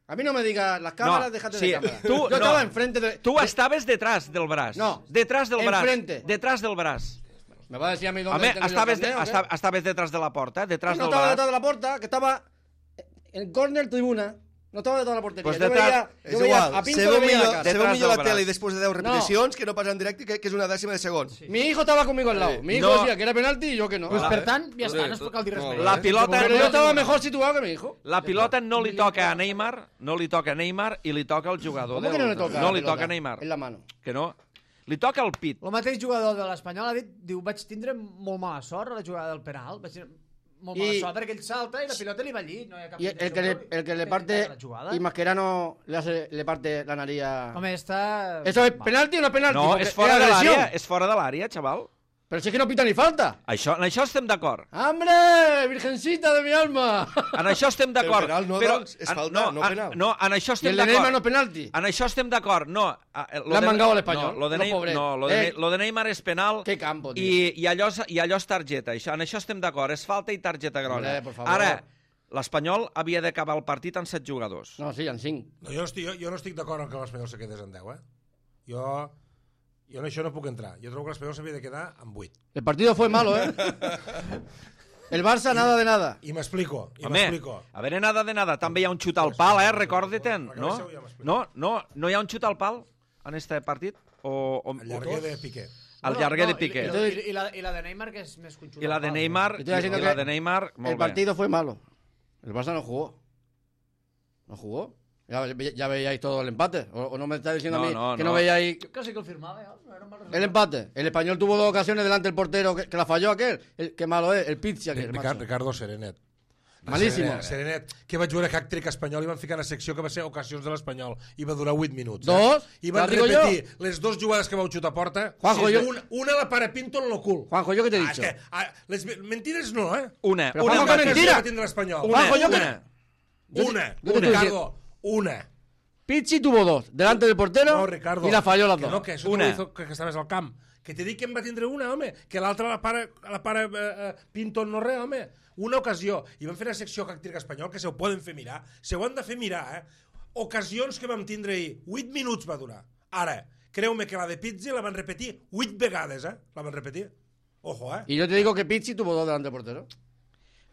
A mí no me digas las cámaras, No, déjate sí, de cámaras. tú- Yo no. estaba enfrente de... Tu de- estaves detrás del braç. No. Detrás del braç. Enfrente. Detrás del braç. Me va a decir a mí dónde Home, tengo yo el estaves, de, carnet, ¿o qué? esta- estaves detrás de la porta, detrás no del estaba braç. detrás de la puerta, que estaba en córner tribuna. No estaba detrás de la portería. Pues yo detrás- veía, És yo veía igual, a Pinto se le veu veía la millor, cara. se veu Detrás millor del la braç. tele després de deu repeticions que no passa en directe, que, que és una dècima de segon. Mi hijo estaba conmigo al lado. Mi hijo No. decía que era penalti y yo que no. Pues Ah, per eh? tant, ja està, no es cal dir res Molt més. bé. La pilota, Pero yo no, estaba mejor situado que mi hijo. la pilota no li toca a Neymar, no li toca a Neymar i li toca al jugador. ¿Cómo que del- no le toca? No la li pelota? toca a Neymar. En la mano. Que no. Li toca al pit. El mateix jugador de l'Espanyol ha dit, diu, vaig tindre molt mala sort a la jugada del penal, vaig tindre molt mala I- sort perquè ell salta i la pilota li va allí, no hi ha cap Y el, el que le, el que le Però parte la jugada. y Mascherano le, hace, le parte la nariz a... Home, està... ¿Eso es Va. penalti o no es penalti? No, Porque és fora era de agresión. l'àrea, és fora de l'àrea, xaval. Pero si es que no pita ni falta. Això, en això estem d'acord. ¡Hombre! ¡Virgencita de mi alma! En això estem d'acord. penal no, doncs, és en- falta, no en- penal. No, en això Y estem el de Neymar no d'acord. es penalti. En això estem d'acord. No, eh, lo Le han de- mangado al espanyol, No, lo de, los Ney- pobres. no, lo de, Eh. lo de Neymar és penal. Qué campo, tío. I, i, allò, és- I allò és targeta. Això, en això estem d'acord. És falta i targeta groga. Hombre, por favor. Ara, l'Espanyol havia d'acabar el partit amb set jugadors. No, sí, en cinc. No, jo, no estic, jo, jo no estic d'acord en que l'Espanyol se quedés en deu, eh? Jo, jo en això no puc entrar. Jo trobo que l'Espanyol s'havia de quedar en vuit. El partido fue malo, ¿eh? El Barça nada de nada. I m'explico, i Home, m'explico. a veure, nada de nada. També hi ha un xut al pal, eh? Recorda-te'n, no? No, no, no hi ha un xut al pal en este partit? O, o, El llarguer de Piqué. El llarguer de Piqué. I, i, i, la, I la de Neymar, que és més conxuta. I la de Neymar, Yo estoy diciendo i la que de Neymar, molt El bé. partido fue malo. El Barça no jugó. No jugó. Ya, ya veíais todo el empate. O, o no me estáis diciendo No, a mí no, que no. no veíais Jo quasi que el firmava, ja. No era un mal resultat. el empate. El Español tuvo dos ocasiones delante del portero que, que la falló aquel. El, qué malo es. El Pizzi aquel. Ricard, macho. Ricardo Serenet. Malísimo. Serenet, Serenet, que vaig veure hack-trick espanyol i van ficar a la secció que va ser ocasions de l'Espanyol i va durar vuit minuts. Dos? Eh? I van Te digo repetir les dues jugades que vau xutar a porta. Juanjo, Sí, yo- una, una la para Pinto en lo cul. Juanjo, ¿yo qué te he Ah, dicho? és que, ah, les mentides no, eh? Una, Però una, Juanjo, Marcos. que mentira. Va tindre l'Espanyol. Una, Juanjo, yo que- una. Una, yo te- Ricardo, una. Pizzi tuvo dos. Delante del portero No, Ricardo. y la falló las que dos. no, que això Una. una. Hizo que, que estaves al camp. Que te dic que en va tindre una, home. Que l'altra la para, la para eh, eh, Pinto en no res, home. Una ocasió. I vam fer la secció hack-trick espanyol, que se ho poden fer mirar. Se ho han de fer mirar, eh? Ocasions que vam tindre ahir. Vuit minuts va durar. Ara, creu-me que la de Pizzi la van repetir vuit vegades, eh? La van repetir. Ojo, eh? Y yo te digo que Pizzi tuvo dos delante del portero.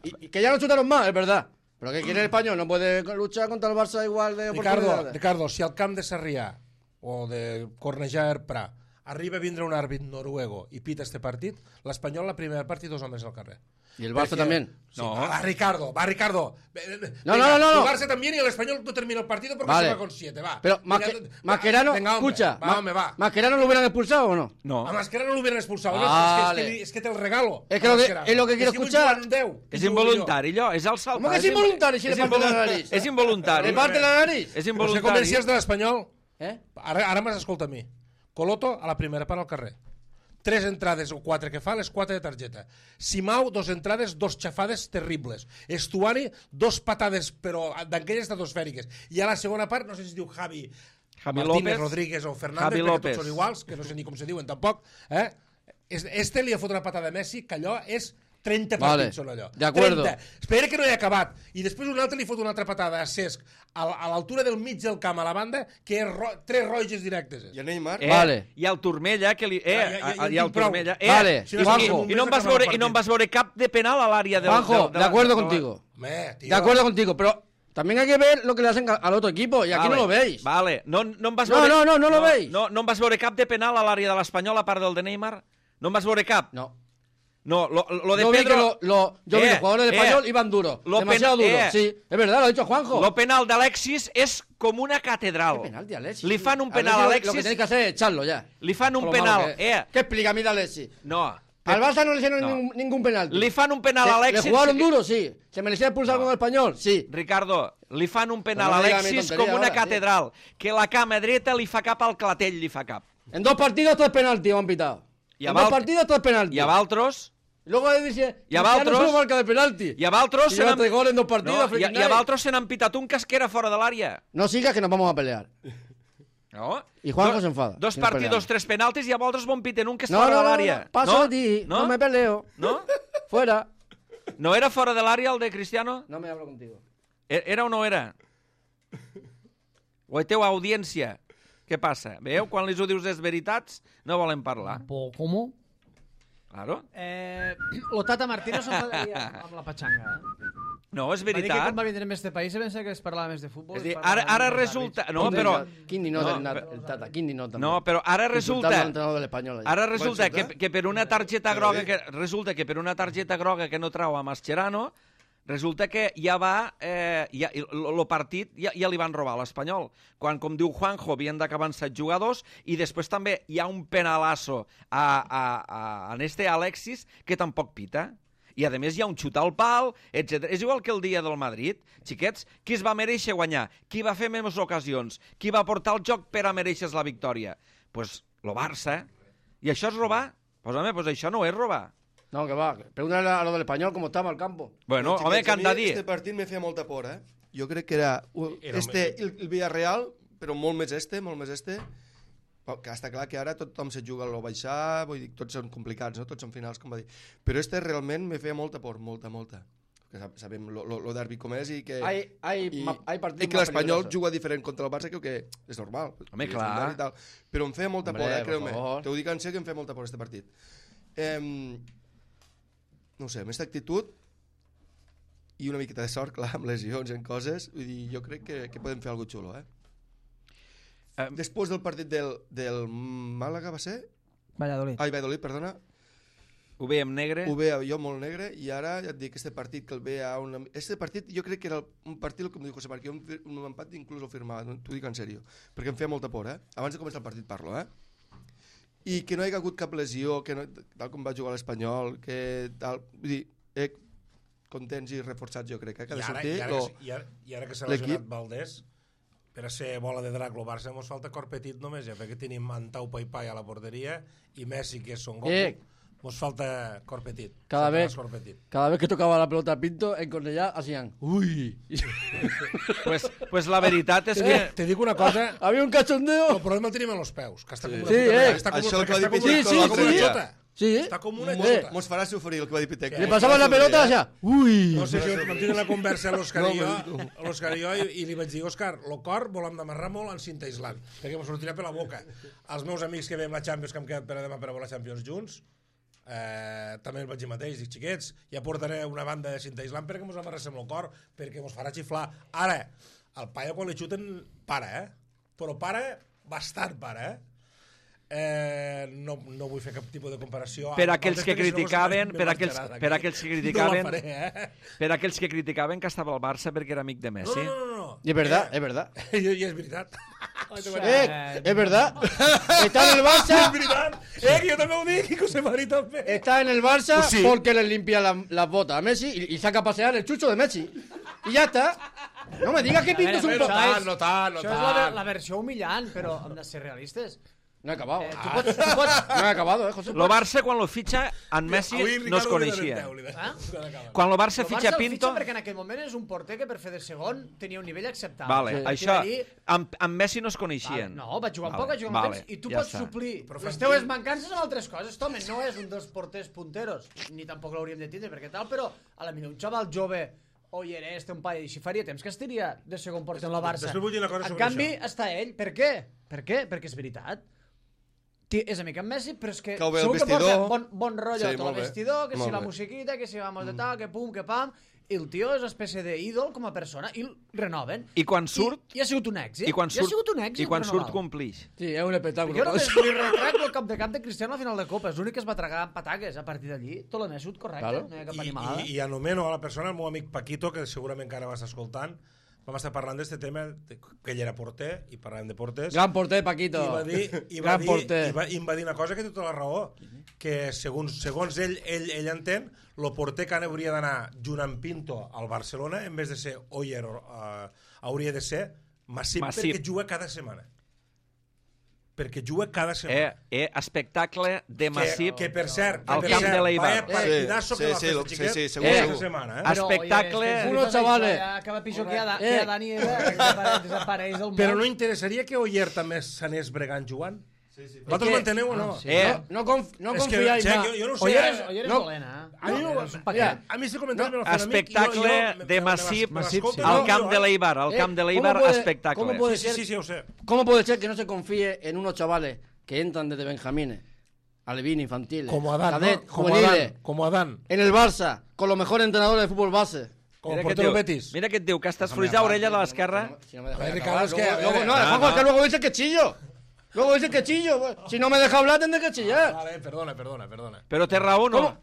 Y, y que ya no chutaron más, es verdad. Pero que quiere el Español, no puede luchar contra el Barça igual de Ricardo, oportunidades. Ricardo, si al camp de Sarrià o de Cornellà Erpra arriba a vindre un àrbit noruego i pita este partit, l'Espanyol la primera part i dos homes al carrer. Y el Barça Perquè- también. Sí, No. va, Ricardo, va, Ricardo. No, no, no, no. El Barça también y el Español no termina el partido porque Vale. se va con siete, va. Pero Mira, Masque- va, Mascherano, venga, hombre, escucha, va, Ma- hombre, va. ¿Mascherano lo hubieran expulsado o no? No. A Mascherano no lo hubieran expulsado. Vale. No, es, que, es, que, es que te el regalo. Es que a lo que- Mascherano. es lo que quiero si vull escuchar. jugar un deu, És i jugo involuntari, allò, és el saltar. ¿Cómo que es involuntari si le parte la nariz? És involuntari. ¿Le parte la nariz? És jo. No sé involuntari. com si és de l'Espanyol. ¿Eh? Ara, ara m'has escoltat a mi. Coloto a la primera part al carrer. Tres entrades o quatre que fa, les quatre de targeta. Simau, dos entrades, dos xafades terribles. Estuani, dos patades, però d'aquelles estratosfèriques. I a la segona part, no sé si es diu Javi, Javi Martínez, López. Rodríguez o Fernández, Javi perquè López. tots són iguals, que no sé ni com se diuen tampoc. Eh? Este li ha fot una patada a Messi, que allò és trenta Vale, partits són allò. de acuerdo. trenta. Espera que no he acabat. I després un altre li fot una altra patada a Cesc a, a l'altura del mig del camp a la banda, que és ro tres roges directes. I a Neymar? Eh, Vale. I el Turmella, que li... Eh, Ja, ja, ja, ja en i el tinc prou. Turmella... Eh, Vale, i, Juanjo. i, no em vas veure, I no em vas veure cap de penal a l'àrea del... Juanjo, del- de acuerdo del- contigo. Home, tío. De acuerdo contigo, pero también hay que ver lo que le hacen al otro equipo y aquí Vale, no lo veis. Vale, no, no em vas No, veure... no, no, no lo veis. No, no em vas veure cap de penal a l'àrea de l'Espanyol, a part del de Neymar? No em vas veure cap? No. No, lo, lo de Yo vi Pedro... que lo, lo- yo vi Eh, los jugadores del eh, español iban duros. lo Demasiado pen- duros. eh. Sí, es verdad, lo ha dicho Juanjo. Lo penal d'Alexis és com una catedral. ¿Qué penal de Alexis? Li fan un penal a Lo- Alexis... Lo que tenéis que hacer es echarlo ya. Li fan un Con lo penal, malo que es. eh. ¿Qué explica a mí de Alexis? No. Al Barça no le hicieron No. ningún, ningún penalti. Li fan un penal a ¿Le- Alexis... ¿Le jugaron duro? Sí. ¿Se merecía expulsar con el español? Sí. Ricardo, li fan un penal Però a no diga mi Alexis tonteria com una ahora, catedral, que la cama dreta li fa cap al clatell, li fa cap. En dos partidos tres penaltis me han pitado. I a en dos Val- partidos tres penaltis. I a Valtros... Y luego le dice, I a Cristiano Valtros- solo marca de penalti. I a Valtros... Y se lleva n'han- tres goles en dos partidos, No, i, freaking a, I a night. Valtros se n'han pitat un que era fora de l'àrea. No sigas que nos vamos a pelear. No? Y Juanjo Do- se enfada. Dos si nos partidos, peleamos. tres penaltis i a Valtros bon piten un que és No, fora no, de no, l'àrea. no, paso de ti, No? no me peleo. No? Fuera. No era fora de l'àrea el de Cristiano? No me hablo contigo. E- Era o no era? O teu audiència? Què passa? Veieu? Quan li ho dius les veritats, no volen parlar. Po, ¿Cómo? Claro. Eh, lo Tata Martino s'enfadaria amb la patxanga. Eh? No, és Va dir que veritat. quan va vindre més de país se pensa que es parlava més de futbol. És es dir, parlava ara, ara més dels resulta... àrbits. No, però... Quin ni nota No, el, nat- el Tata, quin ni nota. No, però ara resulta... Insultando al entrenador del Español. allà. Ara resulta que, insultar? que per una targeta Però groga bé. que resulta que per una targeta groga que no trau a Mascherano, resulta que ja va eh, ja, el partit ja, ja li van robar a l'Espanyol. Quan, com diu Juanjo, havien d'acabar en set jugadors i després també hi ha un penalasso a, a, a, a este Alexis que tampoc pita. I, a més, hi ha un xut al pal, etcètera. És igual que el dia del Madrid. Xiquets, qui es va mereixer guanyar? Qui va fer més ocasions? Qui va portar el joc per a mereixer la victòria? Doncs pues, lo Barça. I això és robar? Doncs, pues, home, pues això no és robar. No, que va. Pregúntale a lo del Español cómo estaba el campo. Bueno, Xiquets, home, que a han mi de dir. Este partit me feia molta por, eh? Jo crec que era, uh, Era este, el, el Villarreal, però molt més este, molt més este, que està clar que ara tothom se juga a lo baixar, vull dir, tots són complicats, no? Tots són finals, com va dir. Però este realment me feia molta por, molta, molta. Que sab- sabem lo, lo, lo derbi com és i que... Hay, hay, i, ma- hay partidos i que más l'Espanyol peligrosos. juga diferent contra el Barça, crec que és normal. Home, I és clar. normal i tal. Però em feia molta Hombre, por, eh, por creu-me. favor. Te ho dic en sèrio que em feia molta por este partit. Eh, no ho sé, amb aquesta actitud i una miqueta de sort, clar, amb lesions en coses, vull dir, jo crec que, que podem fer alguna cosa xulo, eh? Um, Després del partit del, del Màlaga va ser? Valladolid. Ai, Valladolid, perdona. Ho veiem negre. Ho veia jo molt negre i ara ja et dic, este partit que el veia una... Este partit jo crec que era un partit, com diu José Marquí, un, un empat inclús el firmava, t'ho dic en sèrio, perquè em feia molta por, eh? Abans de començar el partit parlo, eh? I que no hi ha hagut cap lesió, que no, tal com va jugar l'Espanyol, que tal... Vull dir, eh, contents i reforçats jo crec, eh? Que ha de I ara, sortir... i ara, lo... que, i ara, i ara que s'ha lesionat Valdés, per a ser bola de drac el Barça mos falta cor petit només, ja, perquè tenim Antau Paipai a la porteria i Messi, que és Son Goku, Eh. mos falta cor petit. Cada Falta vez, cor petit. cada vez que tocaba la pelota a Pinto, en Cornellà hacían uy. Pues, pues la veritat és que... Te dic una cosa, Había un cachondeo. el problema el tenim en los peus, que està com una Sí, puta eh. mena, està com, Això el que va està dir com, una, Pichico Sí, està com sí, una sí. xota. Sí, eh. Està com una Mos, xota. mos farà sofrir el que va dir Pitec. Le pasaba la pelota y hacía uy. No sé si mantinc la conversa a l'Òscar No, i jo, però- a l'Òscar i jo, i, i li vaig dir, Òscar, el cor volem d'amarrar molt en cinta aislant, perquè m'ho sortirà per la boca. Els meus amics que veiem la Champions, que hem quedat per a demà per a veure la Champions junts, eh, també el vaig dir mateix, dic, xiquets, ja portaré una banda de cinta aislant perquè mos amarréssim el cor, perquè mos farà xiflar. Ara, el paio quan li xuten, para, eh? Però para, bastant para, eh? Eh, no, no vull fer cap tipus de comparació Per amb aquells altres que perquè si no criticaven, me per marxarà aquells, d'aquí. per aquells que No criticaven, la faré, eh? per aquells que criticaven que estava al Barça perquè era amic de No, Messi. no, no, no. Y es verdad, Eh, es verdad. I, I és veritat. Eh, es verdad. Está en el És Barça. veritat. Eh, que jo també ho dic, i que José Mari també. Está en el Barça Pues sí. porque le limpia la- las botas a Messi y, y saca a pasear el chucho de Messi. Y ya está. No me digas que Pinto es un veure, po... això tant, és- no tant, no Això és la, tant. la versió humillant, però hem de ser realistes. No he acabado. Eh, tu pots, tu pots, No he acabado, eh, José. Lo Barça, quan lo fitxa, en Messi Avui no es Ricardo coneixia. li dona Ah? deu, li dona. Quan lo Barça el fitxa Barça el Pinto... fitxa perquè en aquell moment és un porter que per fer de segon tenia un nivell acceptable. Vale, Sí. això, Dir, amb, amb Messi no es vale, coneixien. no, va jugar un Vale, poc, va jugar un vale, temps, i tu ja pots està. suplir Però les fan teues quin- mancances amb altres coses. Home, no és un dels porters punteros, ni tampoc l'hauríem de tindre, perquè tal, però a la millor un xaval jove Oyeres té un paio i així faria temps que estiria de segon porter en la Barça. Després vull dir una cosa En sobre canvi, això. està ell. Per què? Per què? Perquè és veritat. Ti- És amic amb Messi, però és que Cau bé el segur que vestidor. porta bon, bon rotllo Sí, sí, tot molt el bé. vestidor, que Molt si la bé. musiquita, que si vamos de tal, que pum, que pam, i el tio és una espècie d'ídol com a persona, i el renoven. I quan surt... I, i ha sigut un èxit. I quan I ha surt, sigut un èxit i quan surt renovar-lo. complix. Sí, es un espectáculo. Jo todo només eso. li retracto el cap de camp de Cristiano a la final de Copa. És l'únic que es va tragar amb pataques a partir d'allí. Tot l'ha surt correcte, Claro. no hi ha cap I, animada. i, I anomeno a la persona, el meu amic Paquito, que segurament encara m'està escoltant, vam estar parlant d'aquest tema, de, que ell era porter, i parlàvem de porters, Gran porter, Paquito. i va dir, i va Gran dir, porter. i, va, i em va dir una cosa que té tota la raó, que segons, segons ell, ell, ell entén, el porter que hauria d'anar junt amb Pinto al Barcelona, en vez de ser Oyer, uh, hauria de ser Massip, Massip. perquè juga cada setmana. Perquè juga cada Eh, setmana. eh, espectacle de Massip. Que, que per cert, que Al per camp cert, de l'Eibar. vaya partidazo Sí, que va sí, fer sí, este xiquet sí, sí, segur, aquesta segur. setmana, eh? Però- espectacle- Unos chavales. Que va pitjor que a, Da- Eh. que a Dani Eva, que desapareix, desapareix del món. Però no interessaria que Oyer també s'anés bregant jugant? Sí, sí. Vosaltres que- m'enteneu o no? Ah, sí. Eh, No, conf no És que, confiáis Xec, más. jo, jo no ho sé. Oyer eh? és, Oyer és no. dolent, eh? A mi, No, no, és un paquet. mira, a mi si comentari me lo fan a mi, espectacle jo- jo- de me- Massip me l'escolto, al no, camp jo, de eh? l'Eibar. Al Eh, camp de ¿cómo l'Eibar, puede- espectacle. cómo puede Sí, sí, sí, sí, ho sé. ¿Cómo puede ser que no se confíe en unos chavales que entran desde Benjamines, alevín, infantiles, Como Adán, cadet, ¿no? Como juveniles, Adán, como Adán. en el Barça, con los mejores entrenadores de fútbol base? Como Mira que et portero diu, Betis. mira que et diu, que estàs fluix d'orella de l'esquerra. Si no me deja Joder, acabar, Ricardo, es que, luego- a ver, luego- no, no, Juanjo, no. es que luego dice que chillo. Luego dice que chillo. Si no me deja hablar, tendré que chillar. Vale, perdona, perdona, perdona. Però té raó, no? ¿Cómo?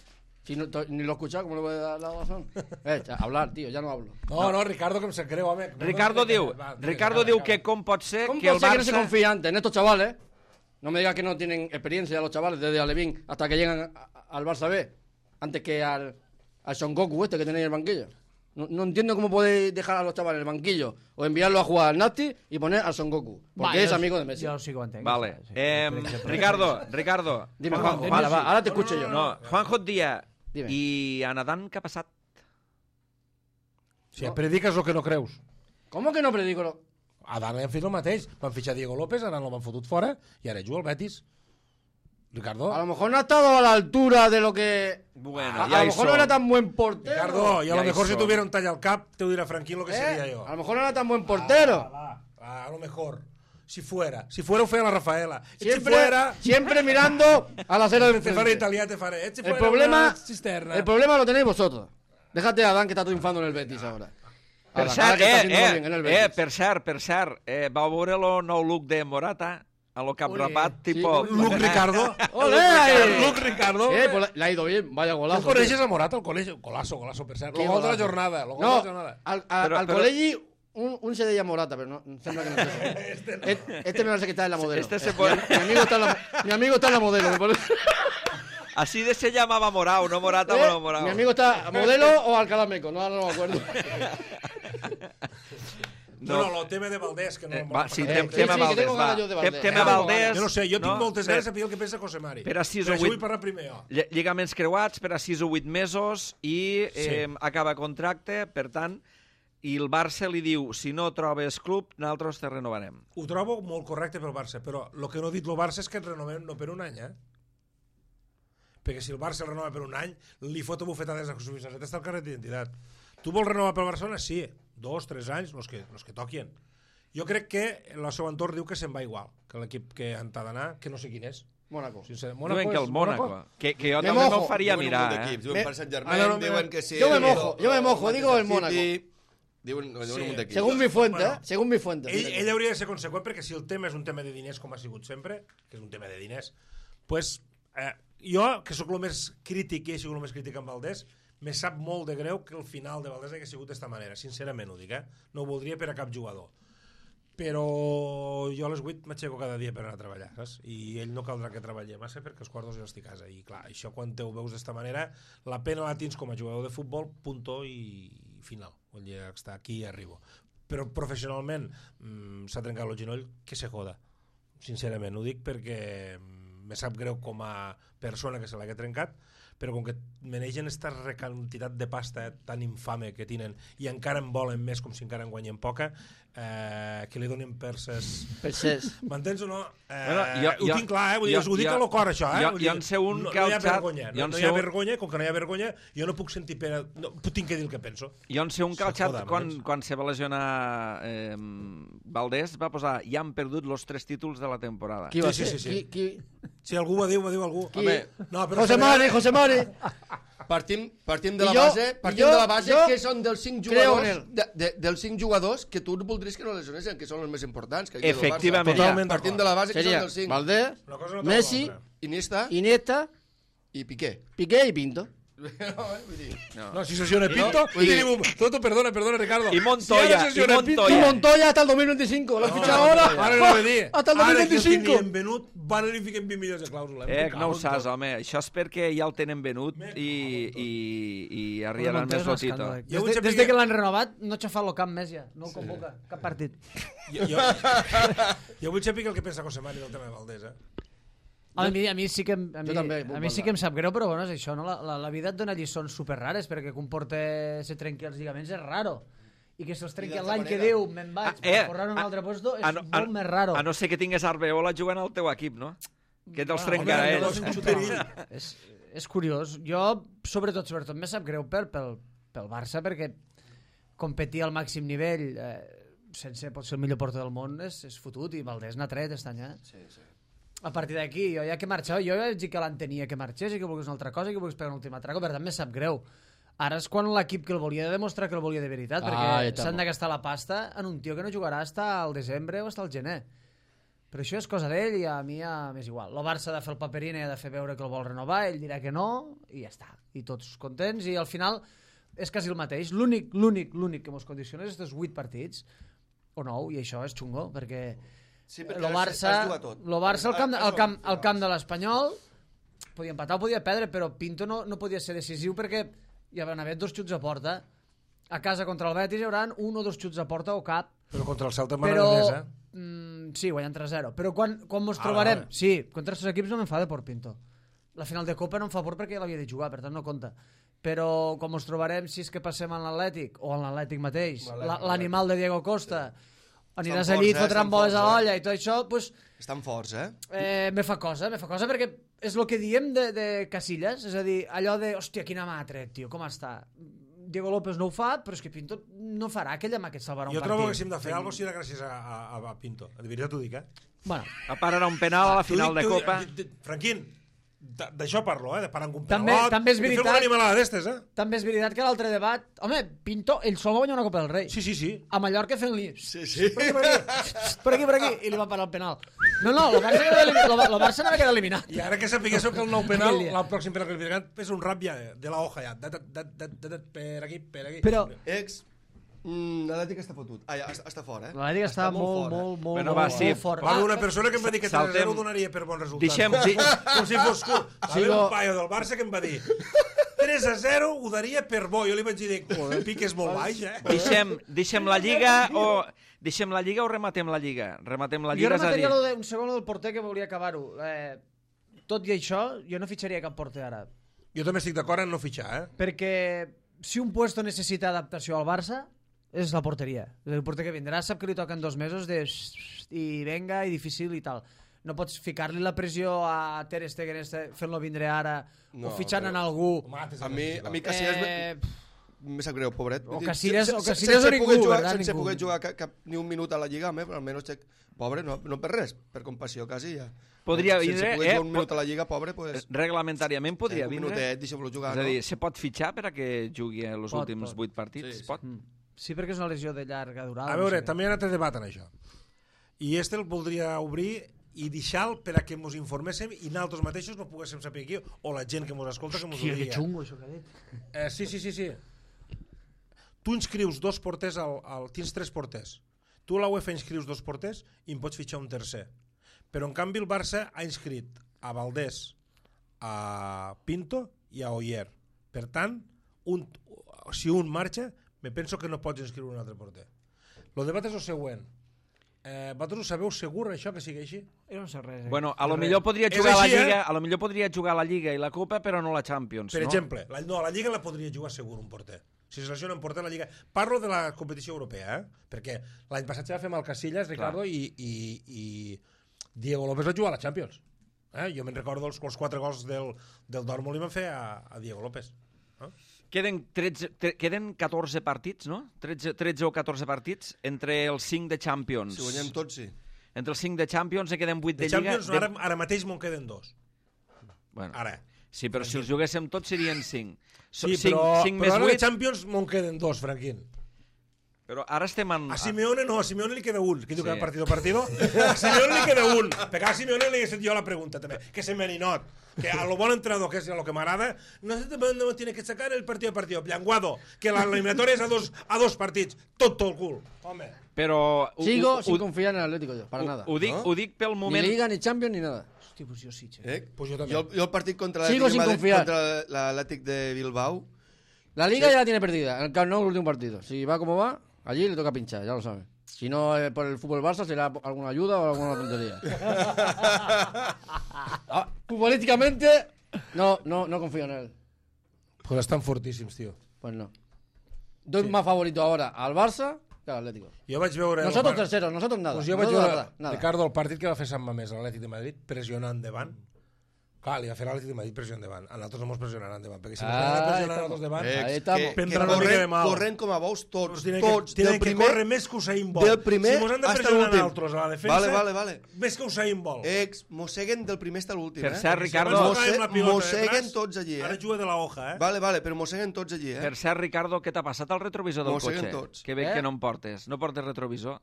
Si no, to- ni lo he escuchado, ¿cómo le voy a dar la razón? Eh, cha- hablar, tío, ya no hablo. No, no, Ricardo, que em sap greu, home. Ricardo diu, Va, Ricardo acaba, diu acaba. que com pot ser ¿Cómo que el puede ser que no se Barça... confía antes en estos chavales? No me digas que no tienen experiencia los chavales desde Alevín hasta que llegan a- a- al Barça B, antes que al, al Son Goku este que tenéis en el banquillo. No, no entiendo cómo podéis dejar a los chavales en el banquillo o enviarlos a jugar al Nasti y poner al Son Goku, porque Va, es jo- amigo de Messi. Jo sí que ho entenc. Vale. Sí, Eh, per exemple. Ricardo, Ricardo. Dime, Juanjo, Juanjo, vale, va, ahora te escucho yo. No, Juanjo et dia, Dime. i a Nadal què ha passat? Si prediques el que no creus. ¿Cómo que no predico lo...? Adán han fet el mateix. Van fitxar Diego López, ara no l'han fotut fora, i ara juga al Betis. Ricardo. A lo mejor no ha estado a la altura de lo que... Bueno, a, ja a lo hi mejor no som. era tan buen portero. Ricardo, y a Ya lo mejor si hizo. tuviera un talla al cap, te hubiera Franquín lo que ¿Eh? sería yo. A lo mejor no era tan buen portero. Ah, ah, a lo mejor. Si fuera. Si fuera, ho feia la Rafaela. Si Siempre, fuera... siempre mirando a la acera del Te faré frente. italià, te faré. Si El fuera problema, una cisterna. el problema lo tenéis vosotros. Déjate a Adán, que está triunfando en el Betis ahora. Per Adán, cert, ahora que está eh, haciéndolo eh, bien en el eh, Betis. per cert, per cert, eh, vau veure el nou look de Morata? A lo caprapat, tipo... Sí, Luke Ricardo. ¡Ole! ahí! Luke Ricardo. Eh, pues le ha ido bien, vaya ¿Tú golazo. coneixes a Morata al col·legi? Golazo, golazo, per cert. Qué Lo gol de la golazo. jornada. Lo gol No, de la jornada. al, a- Pero- al pero- Colegi un, un se deia Morata, pero no, sembla que no es eso. este, este me parece que está en la modelo. Este se puede- mi, amigo está en la, mi amigo está en la modelo. Me parece. Así de se llamaba Morao, no Morata, ¿Eh? no Morao. Mi amigo está modelo o Alcalá Meco, no, no me acuerdo. No, no, el tema de Valdés, que no... Eh, va, sí, Eh, tem, sí, tema sí, que Valdés, tengo va. ganas yo de Tem, Valdés. tema Eh, Valdés... Jo no sé, jo tinc moltes ganes de per, saber el que pensa José Mari. per a sis Per o això vuit- vull parlar primer jo. ll- lligaments creuats per a sis o vuit mesos i eh, Sí. acaba contracte, per tant, i el Barça li diu, si no trobes club, nosaltres te renovarem. Ho trobo molt correcte pel Barça, però el que no ha dit el Barça és que et renovem no per un any, eh? Perquè si el Barça el renova per un any, li fot bufetades a Jesús Vicente està al carnet d'identitat. Tu vols renovar pel Barcelona? Sí, dos, tres anys, els que, los que toquien. Jo crec que el seu entorn diu que se'n va igual, que l'equip que han d'anar, que no sé quin és. Mónaco. Sincer, Diuen que el és- Mónaco, que, que jo Me també mojo. me'l faria Diuen un mirar, munt eh? d'equips, diuen Me- per Sant Germain, Ah, no, no, diuen me- que sí. Yo me mojo, yo me mojo, digo el Manchester Mónaco. City, Diuen, diuen Sí. un munt d'equips. Según mi fuente, Bueno. ¿eh? Según mi fuente. Ell, mira. ell hauria de ser conseqüent perquè si el tema és un tema de diners com ha sigut sempre, que és un tema de diners, pues, eh, jo, que sóc el més crític i he sigut el més crític amb Valdés, me sap molt de greu que el final de Valdés hagi sigut d'esta manera, sincerament ho dic, eh? No ho voldria per a cap jugador. Però jo a les vuit m'aixeco cada dia per anar a treballar, saps? I ell no caldrà que treballi massa perquè els quarts jo estic a casa. I clar, això quan te ho veus d'esta manera, la pena la tens com a jugador de futbol, punto i final. Vull dir, està aquí i arribo. Però professionalment mmm, s'ha trencat el genoll, que se joda. Sincerament, ho dic perquè mm, me sap greu com a persona que se l'ha trencat, però com que manegen aquesta quantitat de pasta eh, tan infame que tenen i encara en volen més com si encara en guanyen poca, eh, que li donin perses... Perses. M'entens o no? Eh, Bueno, jo- ho jo- tinc clar, eh? Vull dir, jo- ho dic jo- a lo cor, això. Eh? jo- Vull dir, jo en sé un no, que no al hi ha xat- vergonya. jo No, en no sé hi ha un- vergonya, com que no hi ha vergonya, jo no puc sentir pena... No, tinc que dir el que penso. Jo en sé un que al Se xat, joda, quan, m'entens? quan se va lesionar eh, Valdés, va posar, ja han perdut los tres títols de la temporada. Qui va Sí, ser? sí, sí, sí. Qui, qui... Si algú ho diu, ho diu algú. Qui? Home, No, però José esta Mari, vegada- José Mari. Partim, partim de I la jo- base, i partim jo- de la base jo que són dels cinc creo en jugadors, él. de, de, dels cinc jugadors que tu voldries que no lesionessin, que són els més importants. Que aquí al Barça. Efectivament. Totalment Partim d'acord. de la base que Sería són dels cinc. Valdés, Una cosa no treu Messi, l'altra. Iniesta Iniesta, i Piqué. Piqué y Pinto. No, eh, vull dir, No, si sesiona Pinto, vull dir- no, Toto, perdona, perdona, Ricardo. I Montoya, si ara sesiona i Pinto, Y Montoya. Montoya hasta el dos mil veinticinco. Lo No, ficha ahora. Ara no ho he dit. Hasta el Ara que el 2025. tenien venut, van li fiquen vint milions de clàusula. Eh, Em que no ho cago en saps, tot. home. Això és perquè ja el tenen venut Me i, i, i Bueno, arribaran Montoya més és un lotito. escàndol. Jo Des, vull de, saber des de que- que l'han renovat, no ha xafat el camp més ja. No el convoca, cap partit. Jo, jo, jo vull saber el que pensa José Mari del tema de Valdés, eh? A mi, a mi sí que, em- a mi, Jo també puc a mi sí parlar. que em sap greu, però bueno, és això, no? La, la, la vida et dona lliçons superrares, perquè que un porter se trenqui els lligaments és raro. I que se'ls trenqui I d'altra l'any que manera- diu, me'n vaig, Ah, per eh, correr a un a- altre posto, és a no- a- molt més raro. A no ser que tingués Arbeola jugant al teu equip, no? Que te'ls Bueno, trencarà home, ell. llavors un xuterill. és, és curiós. Jo, sobretot, sobretot, me sap greu pel, pel, pel Barça, perquè competir al màxim nivell, eh, sense pot ser el millor porter del món, és, és fotut, i Valdés n'ha tret aquest any, eh? Sí, sí. A partir d'aquí, jo ja que marxava, jo ja vaig dir que l'entenia que marxés i que volgués una altra cosa i que volgués pegar un últim atraco, per tant, me sap greu. Ara és quan l'equip que el volia demostrar que el volia de veritat, Ah, perquè ja està. s'han de gastar la pasta en un tio que no jugarà fins al desembre o fins al gener. Però això és cosa d'ell i a mi ja m'és igual. El Barça ha de fer el paperina i ha de fer veure que el vol renovar, ell dirà que no i ja està. I tots contents i al final és quasi el mateix. L'únic, l'únic, l'únic que mos condiciona és aquests vuit partits o nou, i això és xungo, perquè Sí, el perquè Barça, has jugat tot. lo Barça al camp, Has al jugat camp, tot. al camp de l'Espanyol podia empatar o podia perdre, però Pinto no, no podia ser decisiu perquè hi van haver dos xuts a porta. A casa contra el Betis hi haurà un o dos xuts a porta o cap, Però contra el Celta però m'agrada més, eh? mm, sí, guanyant tres zero, però quan, quan mos Ah, trobarem vale. sí, contra aquests equips no m'enfada por Pinto. La final de Copa no em fa por perquè l'havia de jugar, per tant no compta, però quan mos trobarem, si és que passem en l'Atlètic o en l'Atlètic mateix, la- l'animal de Diego Costa aniràs Estan al llit, forts, eh? fotran Estan boles a forts, eh? l'olla i tot això, pues, Estan forts, eh? eh, me fa cosa, me fa cosa perquè és el que diem de, de Casillas, és a dir, allò de, hòstia, quina mà ha tret, tio, com està? Diego López no ho fa, però és que Pinto no farà aquella mà que et salvarà un Jo partit. trobo que si hem de fer alguna cosa serà gràcies a, a, a Pinto. De veritat t'ho dic, eh? Bueno, A part ara un penal a la final T'ho de dic, t'ho Copa. dic, d- d- Franquín, D'això parlo, eh? De parar amb un També- penalot. també és I fem veritat- una animalada d'estes, eh? També és veritat que l'altre debat... Home, Pinto, ell sol va guanyar una Copa del Rei. Sí, sí, sí. A Mallorca fent-li... Sí, sí. Per aquí, per aquí, per aquí, per aquí, i li va parar el penal. No, no, el Barça, queda elimi- el el Barça n'havia quedat eliminat. I ara que sapiguéssiu que el nou penal, Aquell dia. el pròxim penal que li ficaran, és un rap ja, de la hoja ja. Dat, dat, dat, dat, dat, per aquí, per aquí. Però Ex, mm, l'Atlètic està fotut. Ah, ja, està, està fora, eh? l'Atlètic està molt, fora. molt, molt, Bueno, molt, va, molt, sí. molt fort. Va haver una Ah, persona que em va dir que tres a Saltem. zero donaria per bon resultat. Deixem- di- Com si fos cul. Va haver Sigo- un paio del Barça que em va dir tres a zero ho daria per bo. Jo li vaig dir, el pic és molt baix, eh? Deixem, deixem la Lliga o... Deixem la Lliga o rematem la Lliga? Rematem la jo Lliga, és a dir... remataria lo de, un segon lo del porter que volia acabar-ho. Eh, tot i això, jo no fitxaria cap porter ara. Jo també estic d'acord en no fitxar, eh? Perquè si un puesto necessita adaptació al Barça, és la porteria. El porter que vindrà sap que li toquen dos mesos de... i venga, i difícil i tal. No pots ficar-li la pressió a Ter Stegen este, fent-lo vindre ara No, o fitxant en però- algú. A mi, a mi Casillas Eh, me, me sap greu, pobret. o Vull dir, Casillas- se- o se- Casillas sense o ningú, poder jugar, ¿verdad? sense Ningú. poder jugar cap, cap, ni un minut a la Lliga, home, però almenys, xec, pobre, no, no per res, per compassió, quasi ja. Podria sense vindre, poder eh, jugar un minut po- a la Lliga, pobre, pues, Reglamentàriament podria eh, un vindre. minutet, deixem-lo jugar, És a dir, no? se pot fitxar per a que jugui els Pot, últims pot. vuit partits? Sí. Pot? Mm. Sí, perquè és una lesió de llarga durada. A no veure, sé. també hi ha un altre debat en això. I este el voldria obrir i deixar per a que ens informéssim i nosaltres mateixos no poguéssim saber aquí, o la gent que ens escolta que ens ho Hòstia, que digui. xungo això que ha dit. Eh, sí, sí, sí, sí. Tu inscrius dos porters, al, al, tens tres porters. Tu a la UEFA inscrius dos porters i en pots fitxar un tercer. Però en canvi el Barça ha inscrit a Valdés, a Pinto i a Oyer. Per tant, un, si un marxa, me penso que no pots inscriure un altre porter. El debat és el següent. Eh, vosaltres ho sabeu segur això que sigui així? Jo no sé res. Eh? Bueno, a lo Res. millor podria És jugar a la així, eh? Lliga, a lo millor podria jugar a la Lliga i la Copa, però no la Champions, Per no? exemple, la, no, a la Lliga la podria jugar segur un porter. Si se lesiona un porter a la Lliga... Parlo de la competició europea, eh? Perquè l'any passat ja va fer amb el Casillas, Ricardo, i, i, i Diego López va jugar a la Champions. Eh? Jo me'n recordo els, els quatre gols del, del Dortmund li van fer a, a Diego López. Eh? Queden, tretze, tre, queden catorze partits, no? tretze, tretze o catorze partits entre els cinc de Champions. Si guanyem tots, sí. Entre els cinc de Champions en queden vuit De, de, de Lliga. Champions ara, ara mateix me'n queden dos. Bueno, Ara. sí, però si els juguéssim tots serien cinc. So, Sí, cinc, però, cinc però més ara de vuit, Champions me'n queden dos, Franquín. però ara estem en... A Simeone no, a Simeone li queda un. Que diu Sí. que partido partido. A Simeone li queda un. Perquè a Simeone li he fet jo la pregunta també. Que se me ninot. Que a lo bon entrenador, que és lo que m'agrada, no se te no tiene que sacar el partido a partido. Llenguado. Que l'eliminatòria és a dos, a dos partits. Tot el cul. Home. Però... ho- Sigo ho, sin ho, confiar en el Atlético yo, para ho, nada. ho, dic, No? ho dic pel Ni moment... Liga, ni Champions, ni nada. Hòstia, pues jo sí, xe. Eh? Pues jo també. Jo, jo el partit contra Sigo l'Atlètic sin de Madrid, confiar. contra l'Atlètic de Bilbao, La Liga ya la tiene perdida. En el Camp Nou, el último partido. Si va como va, allí le toca pinchar, ya lo sabe. Si no es por el fútbol Barça, será alguna ayuda o alguna tontería. Ah, futbolísticamente, no, no, no confío en él. Pues estan fortíssims, tio. Pues no. Doy más favorito ahora al Barça que al Atlético. Jo vaig veure... Nosotros el par- terceros, nosotros nada. Pues jo vaig Nosotros veure, nada, nada. Ricardo, el partit que va fer Sant Mamés a l'Atlètic de Madrid, pressionant endavant. Clar, li va fer l'Atlètic de Madrid pressió endavant. A nosaltres no ens pressionaran endavant, perquè si ens Ah, pressionaran ahí nosaltres davant... eh, Ahí estamos. que, que Prendran una mica de corren, mal. corren com a bous tots, Doncs tenen tots, que, tenen del que primer, córrer més que Usain Bolt. del primer si mos han de hasta pressionar l'últim. altres a la defensa, Vale, vale, vale. més que Usain Bolt. Ex, mosseguen del primer hasta l'últim, Per eh? cert, Si Ricardo- abans tocàvem la pilota mosseguen detrás, tots allí, eh? Ara juga de la hoja, eh? Vale, vale, però mosseguen tots allí, eh? Per cert, Ricardo, què t'ha passat al retrovisor del Mosseguen cotxe? tots. Que bé Eh? que no em portes. No portes retrovisor.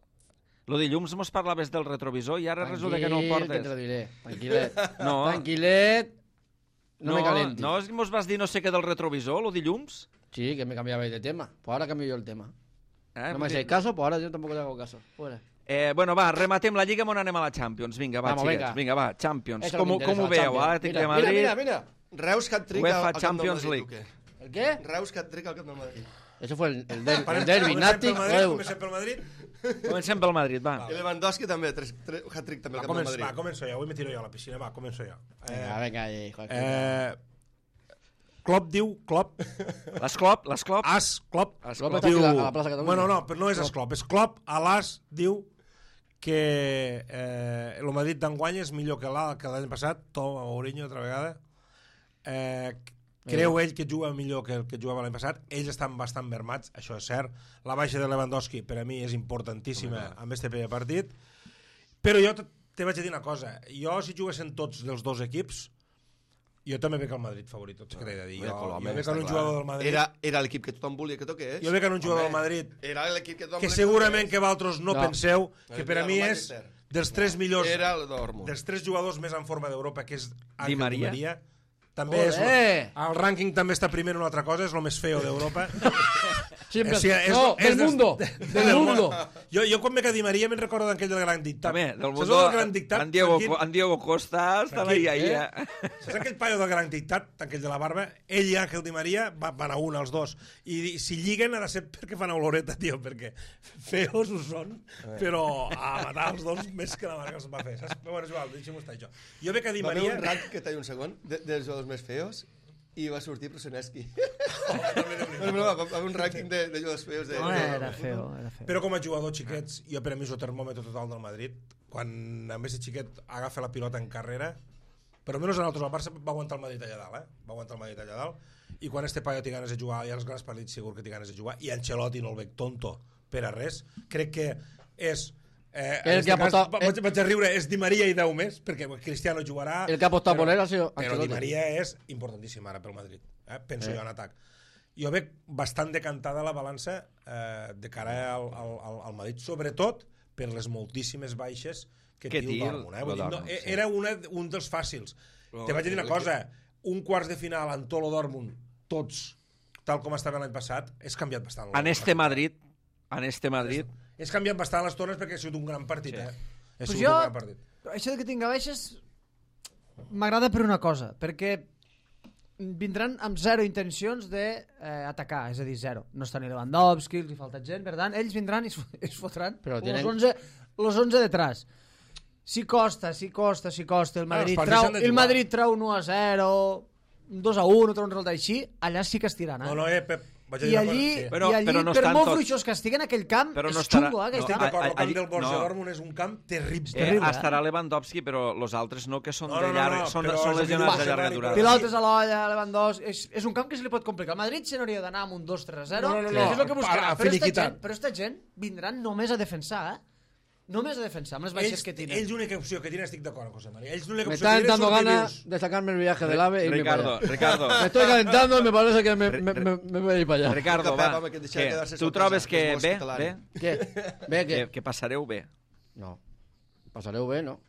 Lo dilluns mos parlaves del retrovisor i ara resulta que no el Tranquil, que te lo portes. diré. Tranquilet. No. Tranquilet. No, me calentes. No, és que mos vas dir no sé què del retrovisor, lo dilluns? Sí, que me cambiabais de tema. Pues ahora cambio yo el tema. Eh, No me hacéis caso, pues ahora yo tampoco te hago caso. Fuera. Eh, bueno, va, rematem la Lliga, on anem a la Champions. Vinga, va, Vamos, xiquets. venga. Vinga, va, Champions. Eso Com, me ho- interesa, com ho la veieu? Champions. Atlètic Mira, de Madrid, Mira, mira, mira. Reus hat-trick UEFA al, al Camp del Champions Madrid, League. o què? ¿El qué? Reus hat-trick al Camp del Madrid. Eso fue el, el, der, Parem- el derbi, comencem Nàtic, pel Madrid, Reus. Comencem pel Madrid. Comencem pel Madrid, va. I Lewandowski també, tres, tres, hat-trick també Va, al Camp del començo, va, Madrid. començo jo. Avui me tiro jo a la piscina. Va, començo jo. Venga, Eh, venga, ahí, joder. eh, Klopp diu, Klopp, L'esclop, l'esclop. As, Klopp, Klopp està aquí a la- a la plaça Catalunya. Bueno, no, però no és As Klopp, és Klopp, a l'As diu que eh, el Madrid d'enguany és millor que l'A que l'any passat, Toma Mourinho altra vegada. Eh, creu ell que juga millor que el que jugava l'any passat. Ells estan bastant mermats, això és cert. La baixa de Lewandowski per a mi és importantíssima amb este primer partit. Però jo te te vaig a dir una cosa. Jo, si juguessin tots dels dos equips, Jo també veig el Madrid favorit, tot que t'he de dir. Home, Jo, Coloma, jo veig està en un clar. jugador del Madrid... Era, era l'equip que tothom volia que toqués. Jo veig en un jugador del Home, Madrid Era l'equip que tothom que volia segurament toqués. que vosaltres no, No. penseu que per a Era mi el és Manchester. dels tres millors, Era el Dortmund. dels tres jugadors més en forma d'Europa, que és Ángel Di María. Di María. També és, Olé! el rànquing també està primer en una altra cosa, és el més feo d'Europa. Siempre... O sigui, és- no, és del des- mundo. Del mundo. Jo, jo quan veig a Di Maria me'n recordo d'aquell del Gran Dictat. També, del Saps mundo, el del Gran Dictat? en Diego, Tranquil? en Diego Costa estava ahí, ahí, Eh? eh? Saps aquell paio del Gran Dictat, aquell de la barba? Ell i Ángel Di Maria va- van a un, els dos. I si lliguen ha de ser perquè fan oloreta, tio, perquè feos ho són, però a matar els dos més que la marca els va fer. Saps? Però bueno, és igual, deixem-ho estar això. Jo veig a Di Va haver Maria... un ranking que talla un segon de, dels jugadors més feos i va sortir Prosoneski. no, no, va, va haver un rànquing de, de jugadors feos. De, No, de, era feo, era feo. Però com a jugador xiquets, jo per a mi és el termòmetre total del Madrid. Quan a més de xiquet agafa la pilota en carrera, però almenys a nosaltres el Barça va aguantar el Madrid allà dalt, eh? Va aguantar el Madrid allà dalt. I quan este paio té ganes de jugar, i als grans partits segur que té ganes de jugar, i Ancelotti no el veig tonto per a res, crec que és... Eh, El en que este ha cas, apostat- vaig, vaig a riure, és Di Maria i deu més, perquè Cristiano jugarà... El que ha apostat però- por él ha sido Però Di Ancelotti. Maria és importantíssim ara pel Madrid, eh? penso Eh. jo en atac. Jo veig bastant decantada la balança eh, de cara al, al, al, al Madrid, sobretot per les moltíssimes baixes que, Que té el té el- Dortmund. Eh? Vull el dir, no, Dortmund, sí. era una, un dels fàcils. No, Te vaig dir una el cosa, un quarts de final en Tolo Dortmund, tots, tal com estava l'any passat, és canviat bastant. En este Madrid, en este Madrid, És canviat bastant les tones perquè ha sigut un gran partit. Sí. Eh? Ha Pues sigut jo, un gran partit. això de que tinga baixes m'agrada per una cosa, perquè vindran amb zero intencions d'atacar, eh, és a dir, zero. No està ni Lewandowski, els hi falta gent, per tant, ells vindran i es, es fotran Però los, tienen- onze, los onze detrás. Si costa, si costa, si costa, el Ah, els Madrid, partits trau, s'han de el jugar. Madrid trau un u a zero, un dos a un, trau un resultat així, allà sí que es tiraran. No, no, eh, Pep, vaig a I dir una allí, cosa. Sí. Però- i allí però no per estan molt tots. fluixos que estiguen en aquell camp, Però no és estarà- xungo, eh, aquell no, Estic camp. d'acord, el camp allí- del Borussia no. Dortmund és un camp terrible. eh, terrible, eh? estarà Lewandowski, però los altres no, que són No, de no, no, llarg, no, són, però són és lesionats de evident, llarga Dani, durada. però- Pilotes a l'olla, Lewandowski... És, és un camp que se li pot complicar. El Madrid se n'hauria d'anar amb un dos tres a zero, No, no, no, que no. és el que buscarà. A- a Però esta, finiquitar. gent, però esta gent vindran només a defensar, eh? Només a defensar, amb les baixes Ells, que tenen. ells l'única opció que tenen, estic d'acord amb José María, ells l'única Me opció está que tenen entrando són ganas vius. de sacarme el viaje del AVE y irme para Ricardo, allá. Ricardo, Me estoy calentando y me parece que me, Re- me, me, me voy a ir para allá. Ricardo, Pep, va, home, que et deixa què? quedar-se Tu sorpresa, trobes que és que molt bé, hospitalari. bé? ¿Qué? ¿Ve Que, qué? que passareu bé? No. Pasaré V, no.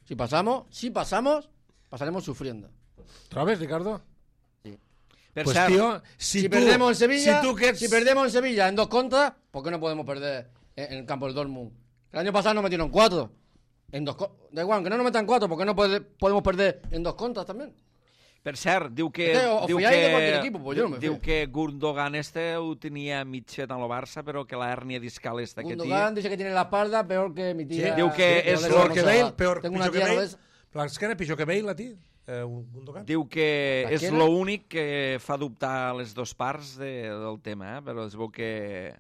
Si pasamos, si pasamos, pasaremos sufriendo. Trobes, Ricardo? Per Pues, cert, tío, si, Si, tú, perdemos en Sevilla, si, tú que ets- si perdemos en Sevilla en dos contras, ¿por qué no podemos perder en, en el campo del Dortmund? El año pasado nos metieron cuatro. En dos co- da igual, aunque no nos metan cuatro, ¿por qué no puede- podemos perder en dos contras también? per cert, diu que... Es que os diu fiáis que, de cualquier equipo, pues yo no me diu fío. que Gundogan este ho tenia mig fet en el Barça, però que la hèrnia discal esta que té... Gundogan dice que tiene la espalda peor que mi tía. diu que que és no le lo vamos que a- Bale, peor, Tengo una pitjor que tía Bale. no es- L'esquena pitjor que Bale, la tia? Eh, Gundogan? Diu que és L'esquena? l'únic que fa dubtar les dues parts de, del tema, eh? Però es veu que,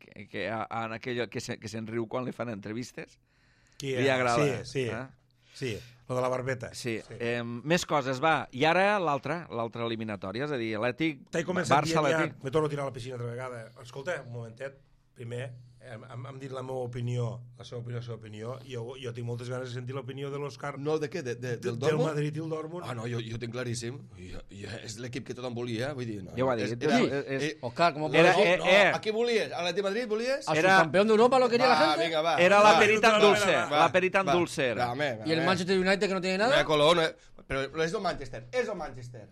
que, que en aquell que, se, que se'n riu quan li fan entrevistes. Qui, Li agrada. Sí, sí, Eh? sí, lo de la barbeta. Sí. sí. Eh, més coses, va. I ara l'altra, l'altra eliminatòria, és a dir, Atlètic, T'he començat Barça, dient ja, Atlètic... me torno a tirar a la piscina altra vegada. Escolta, un momentet, primer, hem, hem, hem dit la meva opinió, la seva opinió, la seva opinió, i jo, jo tinc moltes ganes de sentir l'opinió de l'Òscar, No, de què? De, de, de, del del Dortmund? Madrid i el Dortmund. Ah, no, jo, jo tinc claríssim. Jo, jo, és l'equip que tothom volia, vull dir... No, Ja ho ha és- dit. Era, Sí, eh, és- eh, Oscar, ¿cómo Era- puedo eh, no, eh. a qui volies? ¿A l'Atleti Madrid volies? ¿A era- su campeón de Europa lo quería la Va, gente? vinga, va. Era va, la perita en va, dulce, va, va, la perita en va. dulce era. Va, home, ¿Y el home. Manchester United que no tiene No, nada? Colón, no, però és el Manchester, és el Manchester.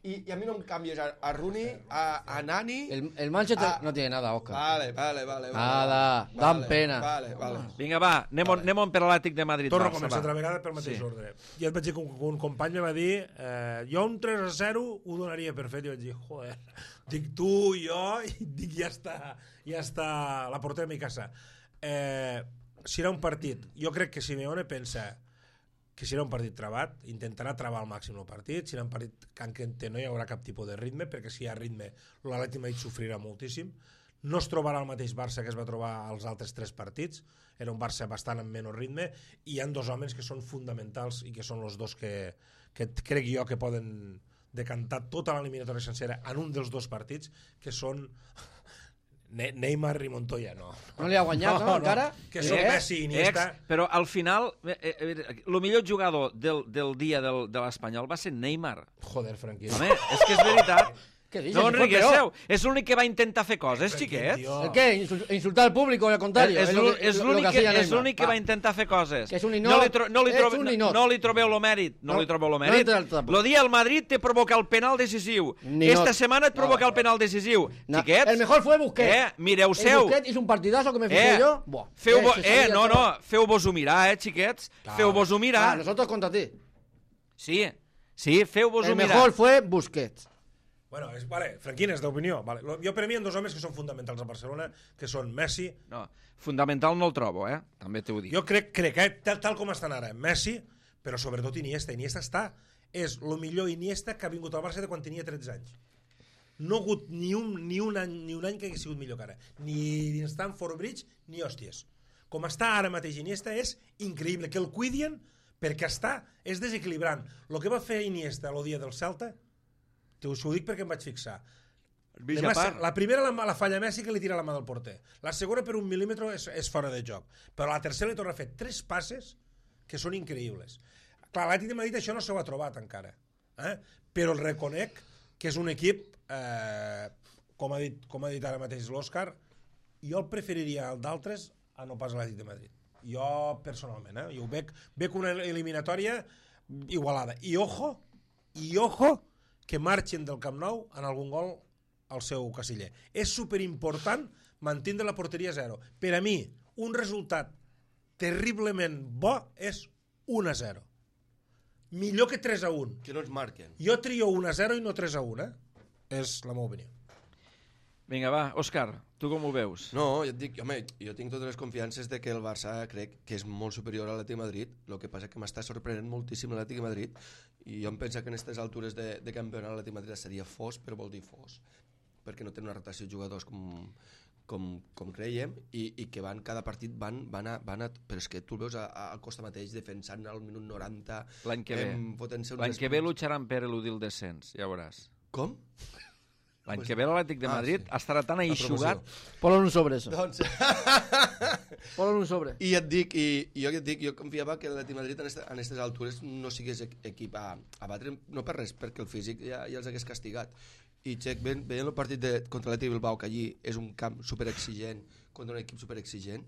I, I a mi no em canvies a, a Rooney, a, a Nani... El, el Manchester Ah. no tiene nada, Oscar. Vale, vale, vale. vale Nada, vale, dan vale, pena. Vale, vale. Vinga, va, anem, vale. anem per l'Atlètic de Madrid. Torno a Barça, començar va. altra vegada pel mateix Sí. ordre. I et vaig dir que un, un company me va dir eh, jo un tres a zero ho donaria per fet, i vaig dir, joder, dic tu, jo, i dic, ja està, ja està, la portem a mi casa. Eh, serà un partit, jo crec que Simeone pensa que serà un partit travat, intentarà travar al màxim el partit, serà un partit que en què no hi haurà cap tipus de ritme, perquè si hi ha ritme l'Atlètic de Madrid sofrirà moltíssim, no es trobarà el mateix Barça que es va trobar als altres tres partits, era un Barça bastant amb menys ritme, i hi ha dos homes que són fonamentals i que són els dos que, que crec jo que poden decantar tota l'eliminatòria sencera en un dels dos partits, que són Ne Neymar i Montoya, no. No li ha guanyat, no, encara? Que són Eh? Messi i Iniesta. Ex, però al final, eh, eh, el millor jugador del, del dia del, de l'Espanyol va ser Neymar. Joder, Franquí. Home, és que és veritat. Què dices? No, Si fue peor. enriqueceu. És l'únic que va intentar fer coses, xiquet. Tío. ¿El qué? Insul- ¿Insultar al público o al contrario? És Es lo l'ú- que- és lo- lo l'únic que que, hacía és Neymar. l'únic que Va. va intentar fer coses. Que és un no ninot. li, tro no li, És trobe, un no, ninot. no li trobeu lo mèrit. No, No, li trobeu lo no mèrit. entra al trapo. Lo dia al Madrid te provoca el penal decisiu. Ninot. Esta setmana et provoca No. el penal decisiu. No, Xiquets. el mejor fue Busquets. Eh, mireu-seu. El Busquets hizo un partidazo que me fijé Eh, yo. Buah. feu Eh, bo, se eh, sabía no, todo. no, feu-vos-ho mirar, eh, xiquets. Clar. Feu-vos-ho Ah, mirar. nosotros contra ti. Sí, sí, feu-vos-ho El mirar. mejor fue Busquets. Bueno, és, vale, Franquines, d'opinió. Vale. Lo- Jo per a mi hi ha dos homes que són fonamentals a Barcelona, que són Messi. No, fundamental no el trobo, eh? També t'ho dic. Jo crec, crec que tal, tal com estan ara, Messi, però sobretot Iniesta. Iniesta està, és el millor Iniesta que ha vingut al Barça de quan tenia tretze anys. No ha hagut ni un, ni un, any, ni un any que hagi sigut millor que ara. Ni dins Stamford Bridge, ni hòsties. Com està ara mateix Iniesta és increïble. Que el cuidien perquè està, és desequilibrant. El que va fer Iniesta el dia del Celta, us ho dic perquè em vaig fixar. Mitja Demà, part. la primera la, la falla Messi que li tira la mà del porter. La segona per un mil·límetre és, és fora de joc. Però la tercera li torna a fer tres passes que són increïbles. Clar, l'Atlètic de Madrid això no s'ho ha trobat encara. Eh? Però el reconec que és un equip, eh, com, ha dit, com ha dit ara mateix l'Òscar, jo el preferiria el d'altres a no pas l'Atlètic de Madrid. Jo, personalment, eh? Jo ho veig, veig una eliminatòria igualada. I ojo, i ojo, que marxin del Camp Nou en algun gol al seu casiller. És superimportant mantindre la porteria zero. Per a mi, un resultat terriblement bo és un a zero. Millor que tres a un. Que no ens marquen. Jo trio un a zero i no tres a un, eh? És la meva opinió. Vinga, va, Òscar, tu com ho veus? No, jo et dic, home, jo tinc totes les confiances de que el Barça crec que és molt superior a l'Atlètic de Madrid, el que passa que m'està sorprenent moltíssim l'Atlètic de Madrid, i jo em penso que en aquestes altures de, de campionat l'Atlètic de Madrid seria fos, però vol dir fos, perquè no té una rotació de jugadors com, com, com creiem, i, i que van, cada partit van, van, a, van a... Però és que tu el veus a, a, al Costa mateix defensant al minut noranta... L'any que ve. em, fotent-se uns L'any que ve sprints. lucharan per eludir el descens, ja veuràs. Com? L'any que ve l'Atlètic de Ah, Madrid sí. estarà tan La eixugat... promoció. Ponlo en un sobre, eso. Doncs... Ponlo en un sobre. I et dic, i, i jo et dic, jo confiava que l'Atlètic de Madrid en aquestes altures no sigués equ- equip a, a batre, no per res, perquè el físic ja, ja els hagués castigat. I Xec, veient, veient el partit de, contra l'Atlètic Bilbao, que allí és un camp superexigent, contra un equip superexigent,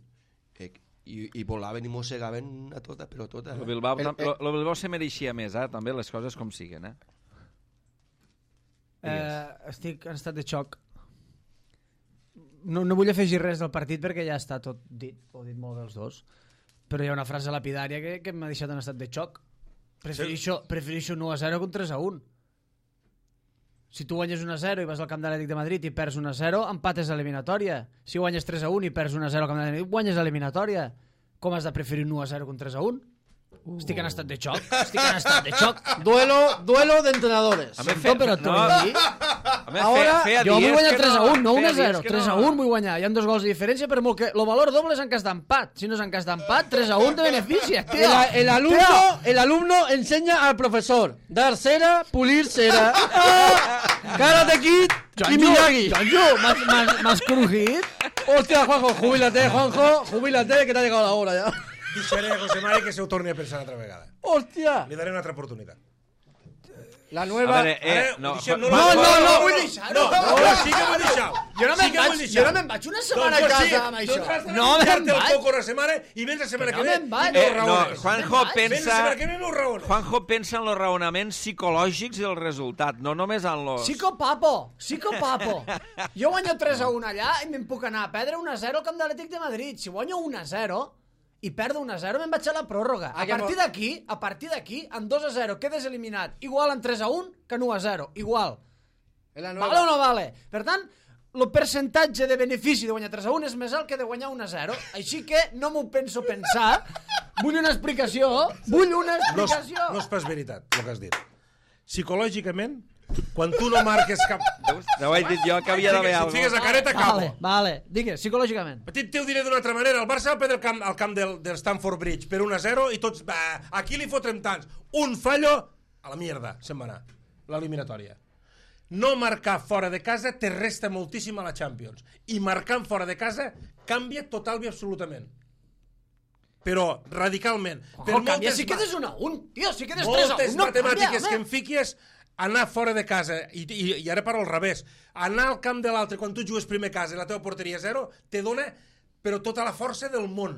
eh, i, i volaven i mossegaven a tota, però a tota. El Eh? Bilbao, El- tam- lo, lo Bilbao se mereixia més, eh? També les coses com siguen, eh? Eh, estic en estat de xoc. No, no vull afegir res del partit perquè ja està tot dit, ho heu dit molt bé els dos, però hi ha una frase lapidària que, que m'ha deixat en estat de xoc. Prefereixo, prefereixo un u a zero que un tres a un. Si tu guanyes un a zero i vas al camp de l'Atlètic de Madrid i perds un a zero, empates a eliminatòria. Si guanyes tres a un i perds un a zero al camp de l'Atlètic, guanyes a eliminatòria. Com has de preferir un u a zero que un tres a un? Uh. Estic en estat de xoc. Estic en estat de xoc. Duelo, duelo de entrenadores. A mi Sento, però t'ho no. vull dir. A més, Ara, feia, feia Jo vull dies guanyar que tres a un, no un feia a zero. dies que tres a no. un vull guanyar. Hi ha dos gols de diferència, però molt que... Lo valor doble és en cas d'empat. Si no és en cas d'empat, tres a un te beneficia, tio. El, el, alumno, el alumno enseña al profesor dar cera, pulir cera. Ah, Karate Kid y Miyagi. Jonjo, m'has- m'has m'has crujit? Hostia, Juanjo, jubílate, Juanjo, jubílate, que te ha llegado la hora ya. Deixaré a José Mari que se ho torni a pensar una altra vegada. Hostia. Li daré una altra oportunitat. La A nueva... veure, eh, Ara, no, deixem- Juan- no, Juan- no, no, vull deixar-ho. No, no, no, sí que vull deixar. Jo no sí me'n que vull vaig, deixar. jo no me'n vaig una setmana Doncs a sí, casa amb això. doncs has de No me'n menjar-te el vaig. coco una setmana i vens la setmana Que que no ve me'n vaig. i no Eh, no, raones. Juanjo Vens la Vens la pensa... setmana que ve i no raones. Juanjo pensa en los raonaments psicològics i el resultat, no només en los... Psicopapo, psicopapo. Jo guanyo tres a un allà i me'n puc anar a perdre un a zero al camp de l'Atlètic de Madrid. Si guanyo un a zero i perdo un a zero, me'n vaig a la pròrroga. A Ah, que partir mo- d'aquí, a partir d'aquí, en dos a zero quedes eliminat. Igual en tres a un que en u a zero. Igual. Es la Vale o nueva. no vale? Per tant, el percentatge de benefici de guanyar tres a un és més alt que de guanyar un a zero. Així que no m'ho penso pensar. Vull una explicació. Vull una No és, explicació. no és pas veritat, el que has dit. Psicològicament, quan tu no marques cap... Veus? No ho he dit jo, que havia d'haver Si et alguna fiques cosa. la careta, Vale, acabo. vale. Digues, psicològicament. Petit, te ho diré d'una altra manera. El Barça va perdre el camp, al camp del, del Stamford Bridge per un a zero i tots... Bah, aquí li fotrem tants. Un fallo, a la mierda, se'n va anar. L'eliminatòria. no marcar fora de casa te resta moltíssim a la Champions. I marcant fora de casa canvia total i absolutament. Però radicalment. Ojo, per canvia si ma- quedes un a un, tio, si quedes tres a moltes un, no matemàtiques canvia, que home. em fiques anar fora de casa, i, i, i ara parlo al revés, anar al camp de l'altre quan tu jugues primer casa i la teva porteria zero, te dona però tota la força del món.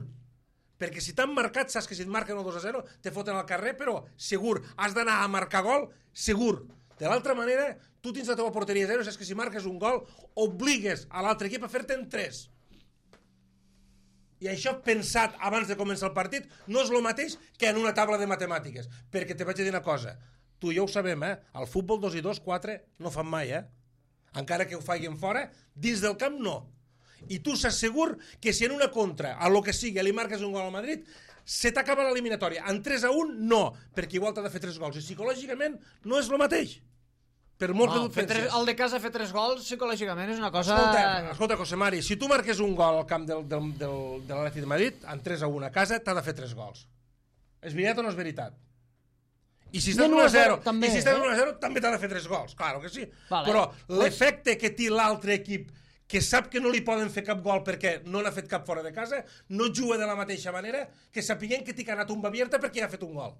Perquè si t'han marcat, saps que si et marquen el dos a zero, te foten al carrer, però segur. Has d'anar a marcar gol, segur. De l'altra manera, tu tens la teva porteria zero, saps que si marques un gol, obligues a l'altre equip a fer-te'n tres. I això pensat abans de començar el partit no és el mateix que en una taula de matemàtiques. Perquè te vaig dir una cosa, tu i jo ho sabem, eh? Al futbol dos i dos, quatre no fan mai, eh? Encara que ho facin fora, dins del camp no. I tu saps segur que si en una contra, a lo que sigui, li marques un gol al Madrid, se t'acaba l'eliminatòria. En tres a un, no, perquè igual t'ha de fer tres gols. I psicològicament no és el mateix. Per molt No, que tu fer et pensis. tres, el de casa fer tres gols psicològicament és una cosa... Escolta, escolta, José Mari, si tu marques un gol al camp del, del, del, de l'Atlètic de Madrid, en tres a un a casa, t'ha de fer tres gols. És veritat o no és veritat? I si estàs I en un a un a zero zero, també, i si estàs eh? un a zero també t'ha de fer tres gols, claro que sí. Vale. Però l'efecte que té l'altre equip, que sap que no li poden fer cap gol perquè no n'ha fet cap fora de casa, no juga de la mateixa manera que sapiguem que t'hi ha anat un abierta perquè ha fet un gol.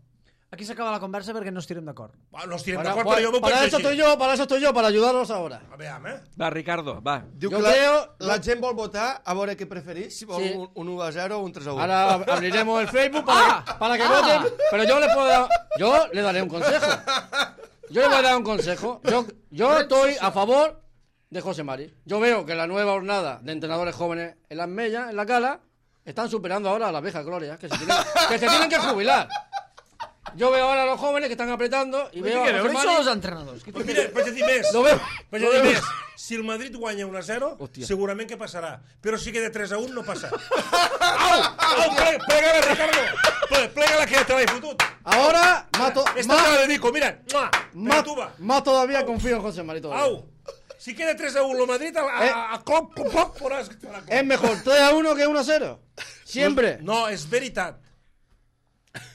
Aquí s'acaba la conversa perquè no estirem d'acord. Bueno, no estirem Para, d'acord, para, però jo m'ho para penso eso estoy així. yo, para eso estoy yo, para ayudaros ahora. A veure, eh? Va, Ricardo, va. Diu Jo que la, creo- la gent vol votar a veure què preferís, si vol Sí. un, un u a zero o un tres a u. Ahora ab- abriremos el Facebook para, que, para que voten, pero yo le puedo dar, yo le daré un consejo. Yo le voy a dar un consejo. Yo, yo estoy a favor de José Mari. Yo veo que la nueva jornada de entrenadores jóvenes en las Mellas, en la Cala, están superando ahora a las viejas glorias, que se tienen que, se tienen que jubilar. Yo veo ahora a los jóvenes que están apretando y veo a Però José no són Mari... els entrenadors. Però mira, vaig a dir més. Lo veo, Vaig lo a dir veo. més. Si el Madrid guanya un a zero, Hòstia. segurament que passarà. Però si queda tres a un, no passa. Au! Au! Ple- Plega-la, Ricardo! Ple- Plega-la, que ja te l'he fotut. Ahora, mato, Esta te la más, dedico, mira. Mua, más, Petuba. más todavía confío en José Mari todavía. Au! Si queda tres a un el Madrid, a, a, Eh. a, a clop, clop, clop, veuràs que farà clop. Es mejor tres a uno que uno a cero. Siempre. No, és veritat.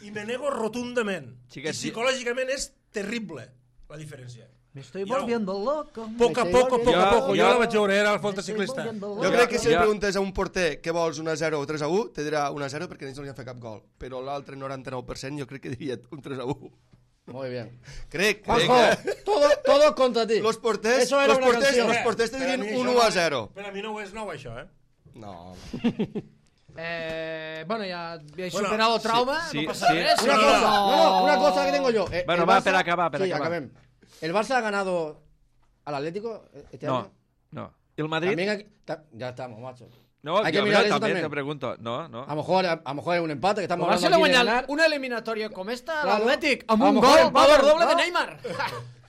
I me nego rotundament. Xiquets, I psicològicament és terrible, la diferència. Me estoy Ja ho- volviendo loco. Poc a Me poc, a estoy poc a volviendo poc. Jo loco. la vaig veure, era el falta Me estoy ciclista. volviendo Jo loco. crec que si Ja. li preguntes a un porter què vols, un a zero o tres a u, te dirà un a zero perquè ells no li han fet cap gol. Però l'altre noranta-nou per cent jo crec que diria un tres a u. Muy bien. Crec, crec. Juanjo, eh? todo, todos contra ti. Los porters, Eso era los una porters, canción. los porters te Per a mi dirien això un no u a és- zero. Per a mi no és nou, això, eh? No. Eh, bueno, ja habéis Bueno, superado el sí, trauma, sí, no pasa sí. res. Una no, cosa, no. no, no, una cosa que tengo yo. Eh, Bueno, el va, Barça- per acabar, per sí, acabar. acabem. ¿El Barça ha ganado al Atlético este No, año? no. ¿Y el Madrid? También hay- ta- ya estamos, macho. No, hay que yo mirar también, eso también. te pregunto. No, no. A lo mejor, a, a lo mejor es un empate que estamos El Barça hablando le aquí de guanya ganar. una eliminatòria com esta a Claro. l'Atlètic, amb A un lo mejor gol, el valor Barça, doble de no? Neymar.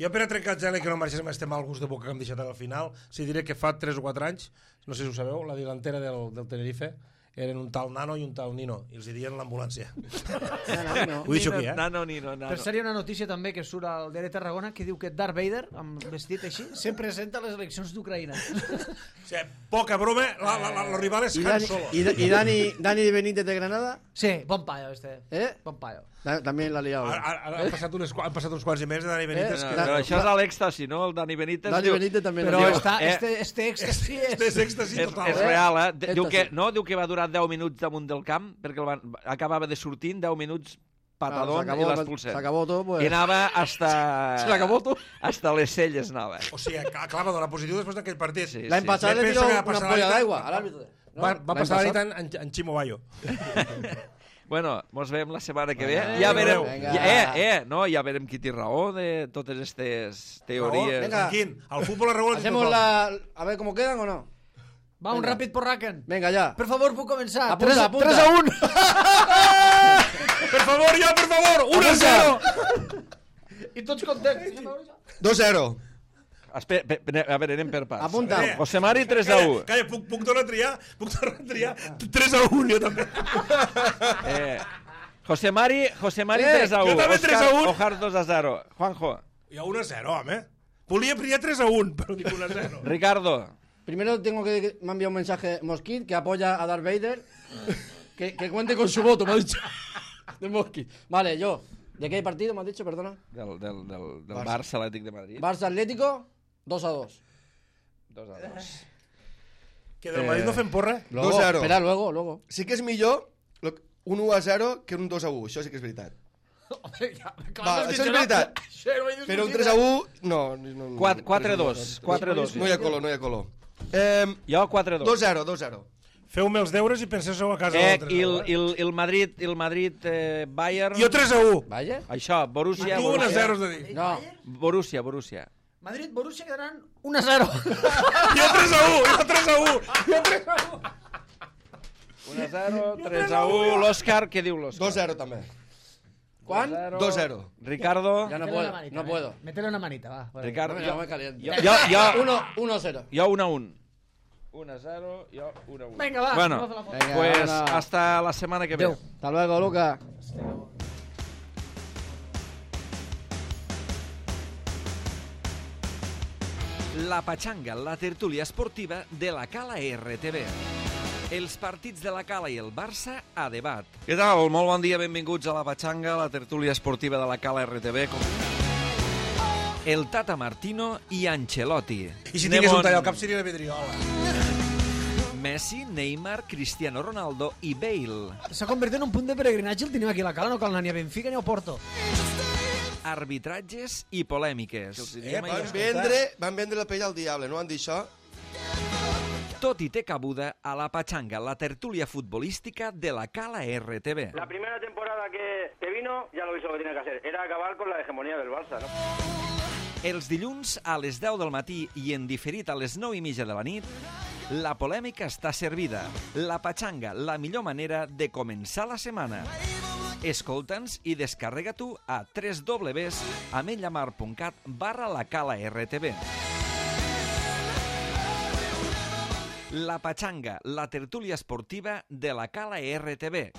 Jo per a trencar el gel i que no marxéssim este mal gust de boca que hem deixat al final, si diré que fa tres o quatre anys, no sé si ho sabeu, la delantera del, del Tenerife eren un tal Nano i un tal Nino, i els hi diuen l'ambulància. No, no, no. Ho he dit aquí, eh? Nano, Nino, Nano. Per cert, hi ha una notícia també que surt al diari Tarragona que diu que Darth Vader, amb vestit així, se presenta a les eleccions d'Ucraïna. O sigui, poca broma, la, la, la, el rival és ¿Y, Han Dani, Solo. y, Da- y Dani, Dani Benítez de Granada? Sí, bon paio, este. ¿Eh? Bon paio. Da- También la ha liado. Ara, ara, ara han, passat unes, han passat uns quants i més de Dani Benítez. Eh, que No, però això és a l'èxtasi, no? El Dani Benítez Dani diu... Benítez también Però la ha liado. està, eh, este, este èxtasi és és... èxtasi És, total. és eh? real, eh? De- Diu Esta que, sí. no, diu que va durar deu minuts damunt del camp, perquè el van, acabava de sortir en deu minuts patadón Claro, i se acabó, l'expulsem. se acabó todo, pues. I anava hasta... Se l'acabó tot. Hasta les celles anava. O sigui, acaba de donar positiu després d'aquell partit. Sí, La pasada Me le penso tiró que va una passar ampolla la nit- d'aigua al árbitro. ¿no? Va, va L'any passar la nit passat. en, en, en Ximo Bayo. Bueno, mos veiem la setmana que ve. Vinga. Ja veurem... Vinga. Ja, eh, eh, no, ja veurem qui té raó de totes aquestes teories. Venga. Quin? El futbol es regula Hacemos la. A ver cómo quedan o no. Va, un Venga. ràpid porraken. Venga, ya. Per favor, puc començar? Apunta, apunta. tres a un. Per favor, ja, per favor! un a zero! I tots contents. dos a zero. Espera, pe- pe- a veure, anem per parts. Apunta. Eh, José Mari, tres a Calla, u. calla, puc, puc tornar a triar? Puc tornar a triar? tres a un, jo també. Eh, José Mari, José Mari Eh, tres a u. jo també tres a un. Ojar dos a zero. Juanjo. Hi ha un a zero, home. Volia triar tres a un, però dic un a zero. Ricardo. Primero tengo que. Me ha enviado un mensaje Mosquit que apoya a Darth Vader. Que, que cuente con su voto, me ha dicho. De Mosquit. Vale, yo. ¿De qué partido me has dicho, perdona? Del, del, del, del Barça. Barça Atlètic de Madrid. Barça Atlético. dos a dos. dos a dos. Que del Madrid no fem porra? Luego, dos a cero. Espera, luego, luego. Sí que és millor lo- un u a zero que un dos a u, això sí que és veritat. Va, això és veritat. Però un tres a u, no. no quatre a dos. quatre a dos. No hi ha color, no hi ha color. Eh, Jo quatre a dos. dos a zero, dos a zero. Feu-me els deures i penseu a casa Eh, del i el, tres a u. i el, i el Madrid, el Madrid eh, Bayern... Jo tres a u. Vaya. Això, Borussia, Tu un a Borussia. zero has de dir. No. Borussia, Borussia. Madrid, Borussia quedaran un a zero. Jo tres a u, jo tres a u. un a zero, tres a u. L'Òscar, què diu l'Òscar? dos a zero també. ¿Cuán? dos a zero. Ricardo. Ya no Métele puedo, una manita, no eh. puedo. Métele una manita, va. Bueno. Ricardo. No, Jo, no me caliento. jo, jo, Uno, uno a cero. jo un a un. un a zero, jo un a un. Venga, va. Bueno, vamos a la foto. Venga, pues ahora. hasta la semana que ve. Adeu. Hasta luego, Luca. La Pachanga, la tertúlia esportiva de la Cala R T V. Els partits de la Cala i el Barça a debat. Què tal? Molt bon dia, benvinguts a la Pachanga, la tertúlia esportiva de la Cala R T V. El Tata Martino i Ancelotti. I si Anem tingués un on- tall al cap seria la vidriola. Messi, Neymar, Cristiano Ronaldo i Bale. S'ha convertit en un punt de peregrinatge el tenim aquí a la Cala, no cal anar ni a Benfica ni a Porto. Arbitratges i polèmiques. Eh, Van Escolta. vendre, van vendre la pell al diable, no van dir això? Tot i té cabuda a la Pachanga, la tertúlia futbolística de la Cala R T V. La primera temporada que, que vino, ya lo hizo lo que tenía que hacer. Era acabar con la hegemonía del Barça, ¿no? Els dilluns a les deu del matí i en diferit a les nou i mitja de la nit, la polèmica està servida. La Pachanga, la millor manera de començar la setmana. Escolta'ns i descarrega tu a w w w punt ametlllamar punt cat barra la Cala R T V. La Pachanga, la tertúlia esportiva de la Cala R T V.